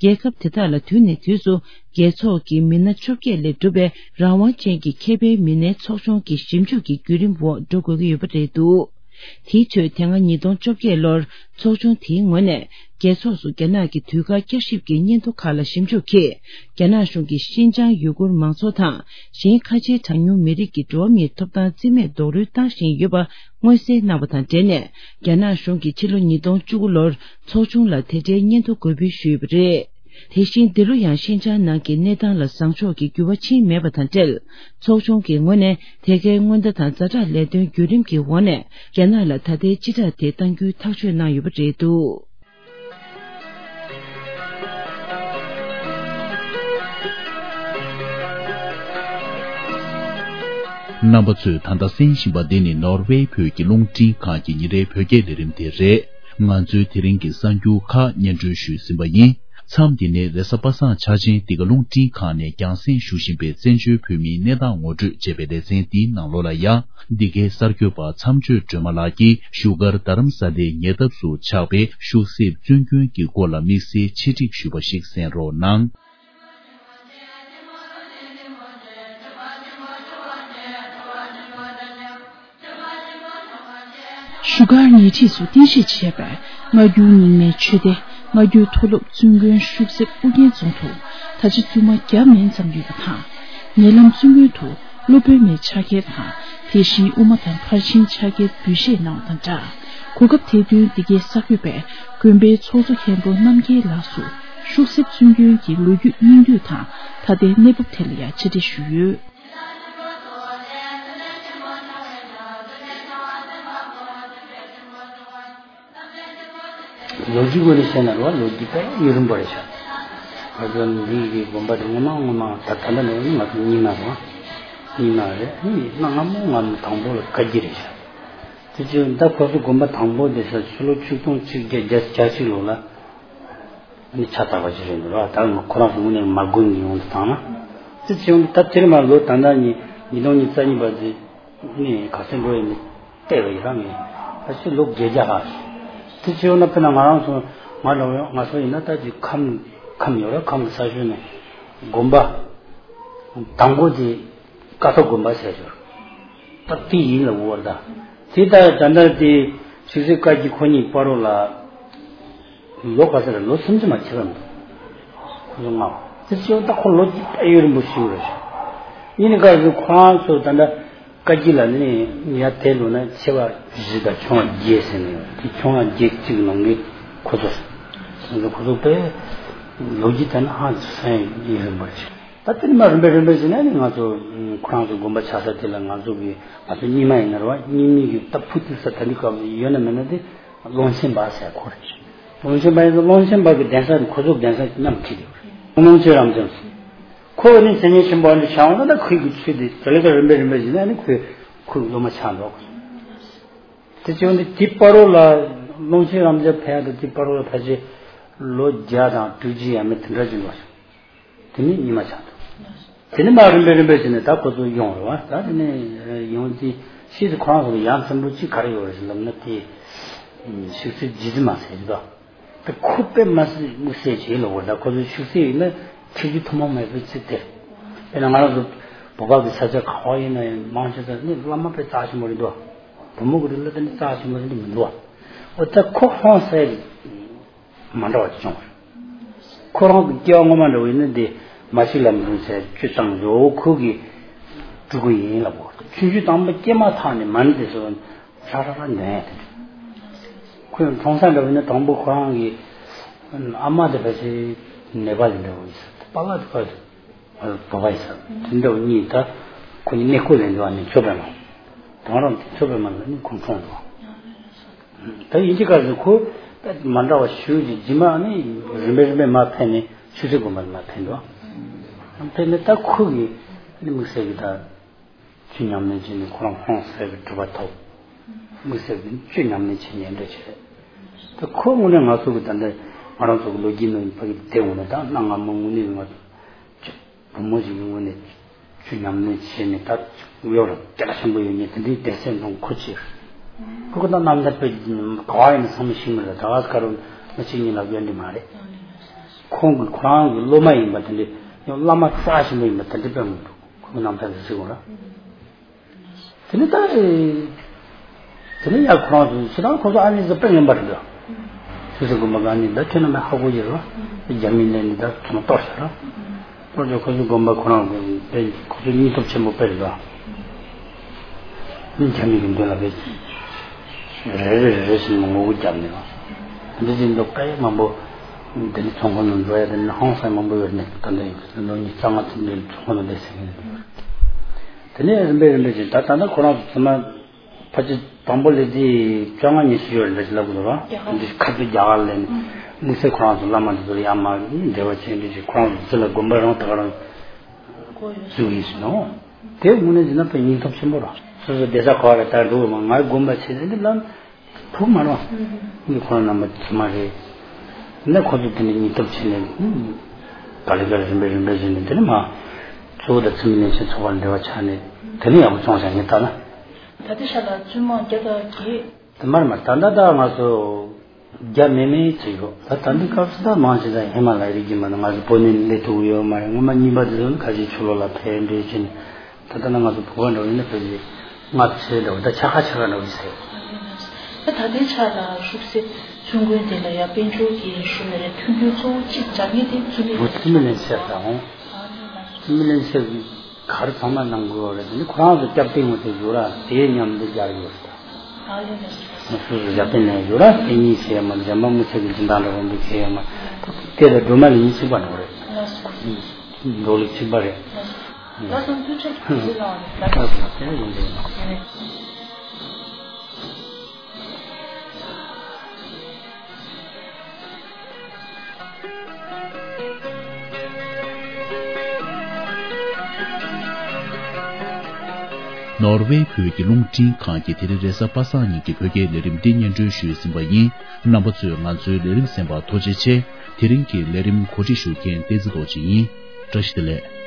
རྒྱལ་ཁབ་དེ་དག་ལ་དུས་ནས་དུས་སུ། རྒྱལ་ཚོགས་ཀྱི་མི་སྣ་བཅོ་བརྒྱད་ལས་གྲུབ་པའི་རང་དབང་ཅན་གྱི་ཁེ་ཕན་མི་སྣའི་ཚོགས་ཆུང་གི་ཞིབ་འཇུག་གི་བརྒྱུད་རིམ་འོག་འགྲོ་དགོས་ཀྱི་ཡོད་པ་རེད་འདུག་དེའི་ཁྲོད་དེ་སྔ་ཉིས་སྟོང་བཅོ་བརྒྱད་ལོར་ཚོགས་ཆུང་དེའི་ངོས་ནས། རྒྱལ་ཚོགས་སུ་རྒྱ་ནག་གི་དུས་བཀག་བསྐྱར་ཞིབ་ཀྱི་སྙན་ཐོ་ཁག་ལ་ཞིབ་འཇུག་གིས། རྒྱ་ནག་གཞུང་གིས་ཤིན་ཅང་ཡུ་གུར་མང་ཚོགས་དང་། གཞན་ཁ་ཆེའི་གྲངས་ཉུང་མི་རིགས་ཀྱི་འགྲོ་བ་མིའི་ཐོབ་ཐང་རྩིས་མེད་རྡོག་རོལ་བཏང་བཞིན་ཡོད་པ་མངོན་གསལ་གནང་བ་དང་འབྲེལ་ནས། རྒྱ་ནག་གཞུང་གིས་ཕྱི་ལོ་ཉིས་སྟོང་བཅུ་དགུ་ལོར་ཚོགས་ཆུང་ལ་དེ་འབྲེལ་སྙན་ཐོ་འགོད་འབུལ་ཞུས་ཡོད་པ་རེད། དེ་བཞིན་འདི་ལོ་ཡང་ཤིན་ཅང་ནང་གི་གནས་སྟངས་ལ་བཟང་ཕྱོགས་ཀྱི་འགྱུར་བ་ཕྱིན་མེད་པ་དང་འབྲེལ། ཚོགས་ཆུང་གི་ངོས་ནས་དེ་གའི་སྔོན་བརྡ་དང་ཛ་དྲག་ལས་དོན་བརྒྱུད་རིམ་གྱི་འོག་ནས། རྒྱ་ནག་ལ་ད་ལྟའི་སྤྱི་བསྒྲགས་དེ་གཏང་རྒྱུའི་ཐག་གཅོད་གནང་ཡོད་པ་རེད་འདུག་རྣམ་པ་ཚོས་ད་ལྟ་གསན་བཞིན་པ་འདི་ནི་ནོར་ཝེ་བོད་ཀྱི་རླུང་འཕྲིན་ཁང་གི་ཉིན་རེའི་བོད་སྐད་ལས་རིམ་དེ་རེད། ང་ཚོའི་དེ་རིང་གི་གསར་འགྱུར་ཁག་སྙན་སྒྲོན་ཞུས་ཟིན་པ་ཡིན། མཚམས་འདི་ནས་རེས་གཟའ་པ་སངས་འཆར་ཅན་འདི་ག་རླུང་འཕྲིན་ཁང་ནས་རྒྱང་སྲིང་ཞུ་བཞིན་པའི་བཙན་བྱོལ་བོད་མིའི་གནས་སྟངས་ངོ་སྤྲོད་ཅེས་པའི་ལེ་ཚན་འདིའི་ནང་ལོགས་ལ་ཡང་། འདི་གའི་གསར་འགོད་པ་མཚམས་གཅོད་སྒྲོལ་མ་ལགས་ཀྱིས་བཞུགས་སྒར་རྡ་རམ་ས་ལའི་ཉེ་འདབས་སུ་ཆགས་པའི་ཤུག་གསེབ་བཙུན་དགོན་གྱི་སྐོར་ལ་དམིགས་བསལ་ཆེད་སྒྲིག་ཞུས་པ་ཞིག་གསན་རོགས་གནང་། བཞུགས་སྒར་ཉེ་འཁྲིས་སུ་རྟེན་གཞི་བྱས་པའི་སྔ་འགྱུར་རྙིང་མའི་ཆོས་སྡེ་སྔ་འགྱུར་མཐོ་སློབ་བཙུན་དགོན་ཤུག་གསེབ་ཨུ་རྒྱན་རྫོང་དུ་ད་ཆ་བཙུན་མ་བརྒྱ་མན་ཙམ་ཡོད་པ་དང་། ཉེ་ལམ་བཙུན་དགོན་དུ་སློབ་དཔོན་མའི་ཕྱག་འཁྱེར་དང་དེ་བཞིན་དབུ་མ་དང་ཕར་ཕྱིན་ཕྱག་འཁྱེར་འབུལ་བཞེས་གནང་བ་དང་སྦྲགས། གོ་སྐབས་དེ་བསྟུན་འདི་གའི་གསར་འགོད་པས་དགོན་པའི་ཚོགས་གཙོ་མཁན་པོ་རྣམ་རྒྱལ་ལགས་སུ་ཤུག་གསེབ་བཙུན་དགོན་གྱི་ལོ་རྒྱུས་སྙིང་བསྡུས་དང་ད་ལྟའི་གནས་བབ་ཐད་ལ་ཡང་ཆེད་འགྲེལ་ཞུས་ཡོད། ལོ་རྒྱུས་སྐོར་ནས་བཤད་ན་རེད་བ། ལོ་རྒྱུས་དཔེ་ཡུན་རིང་པོ་རེད་ཤག་ང་ཚོ་འདི་གི་དགོན་པ་དེ་སྔོན་མ་སྔོན་མ་ད་ད་ལྟ་ནས་ང་ཚོ་རྙིང་མ་རེད་བ། རྙིང་མ་རེད། ཨ་ནི་གནའ་སྔ་མོ་སྔ་མོ་དང་པོ་ལ་བཀའ་བརྒྱུད་རེད་ཤག་དེ་ཚོ་ད་ཁོ་ཚོ་དགོན་པ་དང་པོ་དེ་ས་ཕྱི་ལོ་ཆིག་སྟོང་གཅིག་བརྒྱ་བརྒྱད་ཅུ་གྱ་གཅིག་ལོ་ལ་ཨ་ནི་ཕྱག་བཏབ་པ་ཞིག་རེད་འདུག་ར། ད་ང་ཁོ་རང་ཚོ་དངོས་གནས་མ་དགོན་གྱི་ཡོང་དུ་བཏང་ན་དེ་ཚོ་ཡོང་དུ་ད་དེར་མ་ལོ་ད་ལྟ་ཉིས་ཉིས་སྟོང་ཉི་ཤུ་རྩ་གཉིས་པ་དེ། ནས་ག་ཚོད་འགྲོ་ཡིན་མིན་བལྟས་པ་ཡིན་ར། ངས་ད་ཅི་ལོ་བརྒྱད་བརྒྱ་ལྷག་ཞིག་དེ་བྱས་ཡོང་ན། དཔེར་ན་ང་རང་ཚོ་ང་ལ་ང་ཚོ་ཡིན་ན་ད་ཅི་ཁམས་ཁམས་ཡོད་ར། ཁམས་ཀྱི་ས་ཕྱོགས་ནས་དགོན་པ་དང་པོ་དེ་ཀ་ཐོག་དགོན་པ་ཟེར་ཞོར་ད་དེ་ཡིན་ལ་འུར་ད། དེ་ལྟར་ད་ལྟ་དེ་ཆོས་སྲིད་བཀའ་བརྒྱུད་ཁོ་གཉིས་བར་རོ་ལ་ལོ་ག་ཚོད་རེད། ལོ་སུམ་ཅུ་མ་ཕྱིན་པ་འདུག་ཁོ་ཚོ་ལྔ་བ་དེ་ཕྱིན་ད་ཁོ་ལོ་རྒྱུས་ད་ཡུན་རིང་པོ་ཞིག་རེད། ཡིན་ནི་ག་ཚོད་ཁོ་རང་ཚོ་ད་ལྟ་བཀའ་བརྒྱུད་ལ་ནི་ཡར་དེད་ལོ་ན་ཆེ་བ་བཞི་དང་ཆུང་བ་བརྒྱད་ཟེར་ནས་དེ་ཆུང་བ་བརྒྱད་གཅིག་ནང་གི་ཁོ་ཚོ་ཁོ་ཚོ་ཁོ་ཚོ་དཔེ་ལོ་རྒྱུས་ད་ནི་ཧང་ཚོ་སན་ཡུན་རིང་པོ་རེད། ད་དེ་ནི་མ་རིམ་པས་རིམ་པས་བྱས་ན་ནི་ང་ཚོ་ཁོ་རང་ཚོ་དགོན་པ་ཆགས་ས་དེ་ལ་ང་ཚོ་གི་ང་ཚོ་རྙིང་མ་ཡིན་ན་རེད་བ། རྙིང་མའི་གི་ད་ཕུ་ཏི་ས་ད་འདི་སྐབས་ཡོད་ན་མེད་ན་དེ་ཀློང་ཆེན་པ་ཟེར་ཁོ་རེད། ཀློང་ཆེན་པ་ཡིན་ན་ཀློང་ཆེན་པ་གི་གདན་ས་དེ་ཁོ་ཚོ་གདན་ས་མཉམ་ཁྲིད་དེ་ཀློང་ཆེན་རབ་འབྱམས་ཁོ་ནི་མཚན་སྙན་ཆེན་པོ་འདི་བྱ་བ་ན་ད་ཁོའི་གི་ཚུལ་དེ་དེ་ལས་ཀ་རིམ་པས་རིམ་པས་བྱས་ན་ནི་ཁོའི་ཁོའི་སློབ་མ་ཆགས་འགྲོ། དེ་བྱས་ནི་དེ་བར་རོ་ལ་ཀློང་ཆེན་རབ་འབྱམས་ཕེབས་ཡ་དང་དེ་བར་རོ་ལ་ཕལ་ཆེར་ལོ་བརྒྱ་དང་དྲུག་ཅུ་ཡས་མས་དེ་འདྲ་ཅིག་འགྲོ། དེ་ནས་ཉི་མ་ཆགས་འདུག་དེ་ནས་མར་རིམ་པས་རིམ་པས་བྱས་ནས་ད་ཁོ་ཚོ་ཡོང་རེད་བ། ད་དེ་ནས་ཡོང་དུས་ཤེས་ཚེ་ཁོ་རང་ཚོ་ལ་ཡ་མཚན་པོ་གཅིག་ག་རེ་ཡོད་རེད་ཟེར་ལབ་ན། དེ་ཤུགས་སེ་རྗེ་བཙུན་མ་ཟེར་གྱི་འདུག་དེ་ཁོ་དཔེ་མ་སྲིད་དམིགས་བསལ་བྱེད་ལ་བོར། ད་ཁོ་ཚོ་ཤུགས་སེ་ཡིན་ན་ཁྱེད་ཀྱི་ཐུན་མོང་མེད་པའི་ཚིག་དེ། དཔེར་ན་ང་རང་ཚོ་བོད་པ་གི་ས་ཆ་ག་བ་ཡིན་ན་ཡང་མང་ཆེ་ས་ནི་བླ་མ་དཔེ་རྩ་ཆེན་པོ་རེད་འདུག་བུ་མོ་གི་རིགས་ལ་དེ་ནི་རྩ་ཆེན་པོ་རེད་མི་འདུག་འོ་ད་ཁོ་ཧོན་སའི་མ་འདྲ་བ་ཅིག་བྱུང་བ་རེད། ཁོ་རང་གི་སྐྱེ་བ་སྔོན་མ་འདྲ་བོ་ཡིན་ན་དེ་མ་ཤི་ལམ་རུང་ཚེ་བཅུ་བཏང་འགྲོ་ཁོ་གི་སྤྲུལ་སྐུ་ཡིན་ལབ་གོ། ཆུང་ཆུང་དང་པོ་སྐྱེས་མ་ཐག་ནས་མ་ཎི་དེ་ཚོ་ར་ར་ར་འདོན་ཡ་དེ་འདྲ། ཁོས་མཐོང་ས་འདྲ་བོ་ཡིན་ན་དང་པོ་ཁོ་རང་གི་ཨ་མ་དེ་ཕལ་ཆེར་ནེ་པ་ལི་འདྲ་བོ་ཡིན་ས། པཱ་ལགས་དེ་ཕལ་ཆེར་བོད་པ་ཡིན་ས། དེ་འདྲ་བོ་གཉིས་ད་ཁོ་གཉིས་གནས་སྐོར་ལ་འགྲོ་བ་ནི་ཚོ་པའི་མ། དང་རང་དེ་ཚོ་པའི་མ་ལ་ནི་ཁོང་གྲོངས་འགྲོ། ད་ཡིན་གཅིག་ག་ཚོད་ཁོ་མ་འདྲ་བ་ཞུ་རྒྱུ་རྗེས་མ་ནི་རིམ་པས་རིམ་པས་མར་ཕེབས་ནས་ཆོས་སྲིད་དགོན་པ་ལ་མར་ཕེབས་འགྲོ། ཕེབས་ནས་ད་ཁོ་གི་ནི་དམིགས་བསལ་གྱི་ད་ཆོས་ཉམས་ལེན་བྱས་ནས་ཁོ་རང་ཧོན་སའི་གི་གྲུབ་པ་ཐོབ། དམིགས་བསལ་གྱི་ཆོས་ཉམས་ལེན་བྱེད་ཉན་འདྲ་བྱས། ད་ཁོ་དངོས་གནས་ང་ཚོ་གི་ད་ལྟ་ང་རང་ཚོ་གི་ལོ་རྒྱུས་ནང་ཕ་གི་བསྡད་འོང་ན་ད་གནའ་སྔ་མོ་དངོས་གནས་ང་ཚོ་བུ་མོ་ཞིག་གི་ངོས་ནས་ཆུ་ཉམས་ལེན་བྱས་ནས་ད་གཡོ་ར་སྐད་གྲགས་ཆེན་པོ་ཡོད་མཁན་དེ་འདྲའི་སྡེ་ཚན་ནང་ཁོ་ཅིག་ཁོ་ཁོ་ད་རྣམ་ཐར་དཔེ་ག་བ་ཡིན་ན་ཚང་མ་ཤེས་མི་རེད། ད་ག་སྐར་མ་གཅིག་གཉིས་ལ་ཡོད་འདི་མ་རེད། ཁོང་གི་ཁོ་རང་གི་སློབ་མ་ཡིན་པ་དེ་འདྲའི་ཡང་བླ་མ་རྩ་ཆེན་པོ་ཡིན་པ་དེ་འདྲའི་དཔེ་མི་འདུག་ཁོ་གི་རྣམ་ཐར་དེ་གཟིགས་འོང་ར། དེ་ནི་ད། དེ་ནི་ཡང་ཁོ་རང་ཚོ་ཕྱི་ནང་ཁོ་ཚོ་ཨ་ནི་ཚོ་དཔེ་ངན་པ་རེད་འདུག་ཆོས་སྲིད་དགོན་པ་ག་ནི་ད་ཁྱོད་རྣམ་པས་ཧ་གོ་ཡོད་རེད་བ། རྒྱ་མི་ལས་ནི་ད་ཚོ་མ་གཏོར་ཤག་ར། གཏོར་ཅོག་ཁོ་ཚོའི་དགོན་པ་ཁོ་རང་གི་དཔེ་ཁོ་ཚོའི་སྙིང་སྟོབས་ཆེན་པོ་དཔེ་རེད་བ། རྒྱ་མི་གི་མདུན་ལ་དཔེ་རེ་རེ་རེ་རེ་བཞིན་ངོ་རྒོལ་བརྒྱབ་ནས་བ། འདི་བཞིན་དུ་དཔེ་མང་པོ་འདི་ནི་ཚོང་ཁང་ནང་འགྲོ་ཡ་དེ་ནི་ཧང་སང་མང་པོ་ཡོད་ནས་ད་ལྟ་ཡིན་ལོ་ཉི་ཤུ་རྩ་ལྔ་ཚུན་ནས་ཚོང་ཁང་ནང་བསྡད་ཟེར་གི་ཡོད། དེ་ནས་རིམ་པས་རིམ་པས་ཀྱིས་ད་ད་ལྟ་ཁོ་རང་ཚོ་ཚང་མ་ཕལ་ཆེར་དང་པོ་ལས་དེ་བཅོ་ལྔ་ཉི་ཤུ་ཡོད་རེད་འདྲ་ཞིག་ལབ་དགོས་རེད་བ། རྒྱ་གར་འདི་ཁ་ཐུག་རྒྱ་གར་ལས་ནས་དམིགས་བསལ་ཁོ་རང་ཚོ་བླ་མ་འདི་ཚོ་ལ་ཡར་མར་འབྲེལ་བ་བྱས་འདྲ་ཞིག་ཁོ་རང་ཚོ་ཚུར་ལ་དགོན་པ་རང་ད་ག་རང་བཙུགས་ཡིན་ཟེར་ནོ། དེ་དངོས་གནས་བྱས་ན་དཔེ་སྙིང་སྟོབས་ཆེན་པོ་རེད། སོ་སོ་བསྡད་ས་ག་བ་རེད་ད་འགྲོ་དགོས་མ། ངའི་དགོན་པ་བྱས་ཏེ་འདི་ལ་ཐུག་མ་རེད་བ། ངས་ཁོ་རང་རྣམ་པ་ཚོ་མ་རེད། ནས་ཁོ་ཚོ་དེ་འདྲ་སྙིང་སྟོབས་ཆེ་ནས་ག་ལེ་ག་ལེ་རིམ་པས་རིམ་པས་བྱས་ནས་དེ་ནས་མ། གཙོ་བོ་དང་འཚེ་མེད་ལྷན་སྐྱེས་ཚོགས་པ་འབྲེལ་བ་ཆགས་ནས་དེ་ནས་ཡག་པོ་བྱུང་ཤག་ངས་ལྟ་ན། ད་ལྟའི་ཆ་ལ་བཙུན་མ་བརྒྱ་དང་བརྒྱད། དེ་མར་མར་ད་ལྟ་ད་ང་ཚོ་བརྒྱ་མེད་མེད་བྱེད་ཡོད། ད་ད་འདི་སྐབས་སུ་ད་མང་ཆེ་ད་ཧི་མ་ལ་ཡའི་རི་རྒྱུད་མ་ནས་ང་ཚོ་བོད་ནས་སླེབས་ཐུབ་ཡོད་མ་རེད། སྔོན་མ་གཉིས་པ་དེ་ཚོ་ནི་ཁ་ཤས་ཕྱི་ལོགས་ལ་ཕེབས་འགྲོ་བྱས་ནས། ད་ལྟ་ན་ང་ཚོ་བོད་པ་འདྲ་བོ་ཡིན་ན་ཕལ་ཆེར་ལྔ་བཅུ་འདྲ་བོ་ད་ཆ་ཁ་ཆ་ཁ་འདྲ་བོ་ཡིན་ཟེར། ད་ད་ལྟའི་ཆ་ལ་ཤུགས་སེ་ཚུན་དགོན་དེ་ལ་ཡ་དཔལ་འབྱོར་གྱི་ཧྲུལ་ནས་རེད། མཐུན་འགྱུར་གཙོ་བོ་གཅིག་འཇགས་མཁན་དེ་བཙུན་མི་བོད་བཙུན་མི་ལྷན་ཚོགས་དང་། བཙུན་མི་ལྷན་ཚོགས་ཀྱི་ག་རེ་ཚང་མ་གནང་དགོས་རེད། དེ་ནི་ཁོ་རང་ཚོ་སྐྱབས་བསྟེན་དངོས་དེ་ཡོད་ར་དེ་མཉམ་དུ་སྦྱར་ཡོད་རེད། ང་སོ་སོ་རྒྱབ་རྟེན་ནས་ཡོད་ར་དེ་གཉིས་བྱས་ཡོད་མ། འཇམ་དཔལ་དམུ་ཆེ་གི་སྦྱིན་བདག་འདྲ་བོ་འདུག་བྱས་ཡོད་མ། དེ་ལ་སྒྲོལ་མ་ལ་ཡིན་གཅིག་པ་འགྲོ་རེད། འགྲོ་ལུགས་གཅིག་པ་རེད། ལགས་སོ། ཐུགས་རྗེ་ཆེ། ལགས་སོ། དེ་ཡིན་པས། ནོར་ཝེ་བོད་ཀྱི་རླུང་འཕྲིན་ཁང་གིས་དེ་རིང་རེས་གཟའ་པ་སངས་ཉིན་གྱི་བོད་སྐད་ལས་རིམ་འདི་སྙན་སྒྲོན་ཞུས་ཟིན་པ་ཡིན། རྣམ་པ་ཚོས་ང་ཚོའི་ལས་རིམ་གསན་པར་ཐུགས་རྗེ་ཆེ། དེ་རིང་གི་ལས་རིམ་གོ་སྒྲིག་ཞུ་མཁན་བསྟན་འཛིན་རྡོ་རྗེ་ཡིན། བཀྲ་ཤིས་བདེ་ལེགས།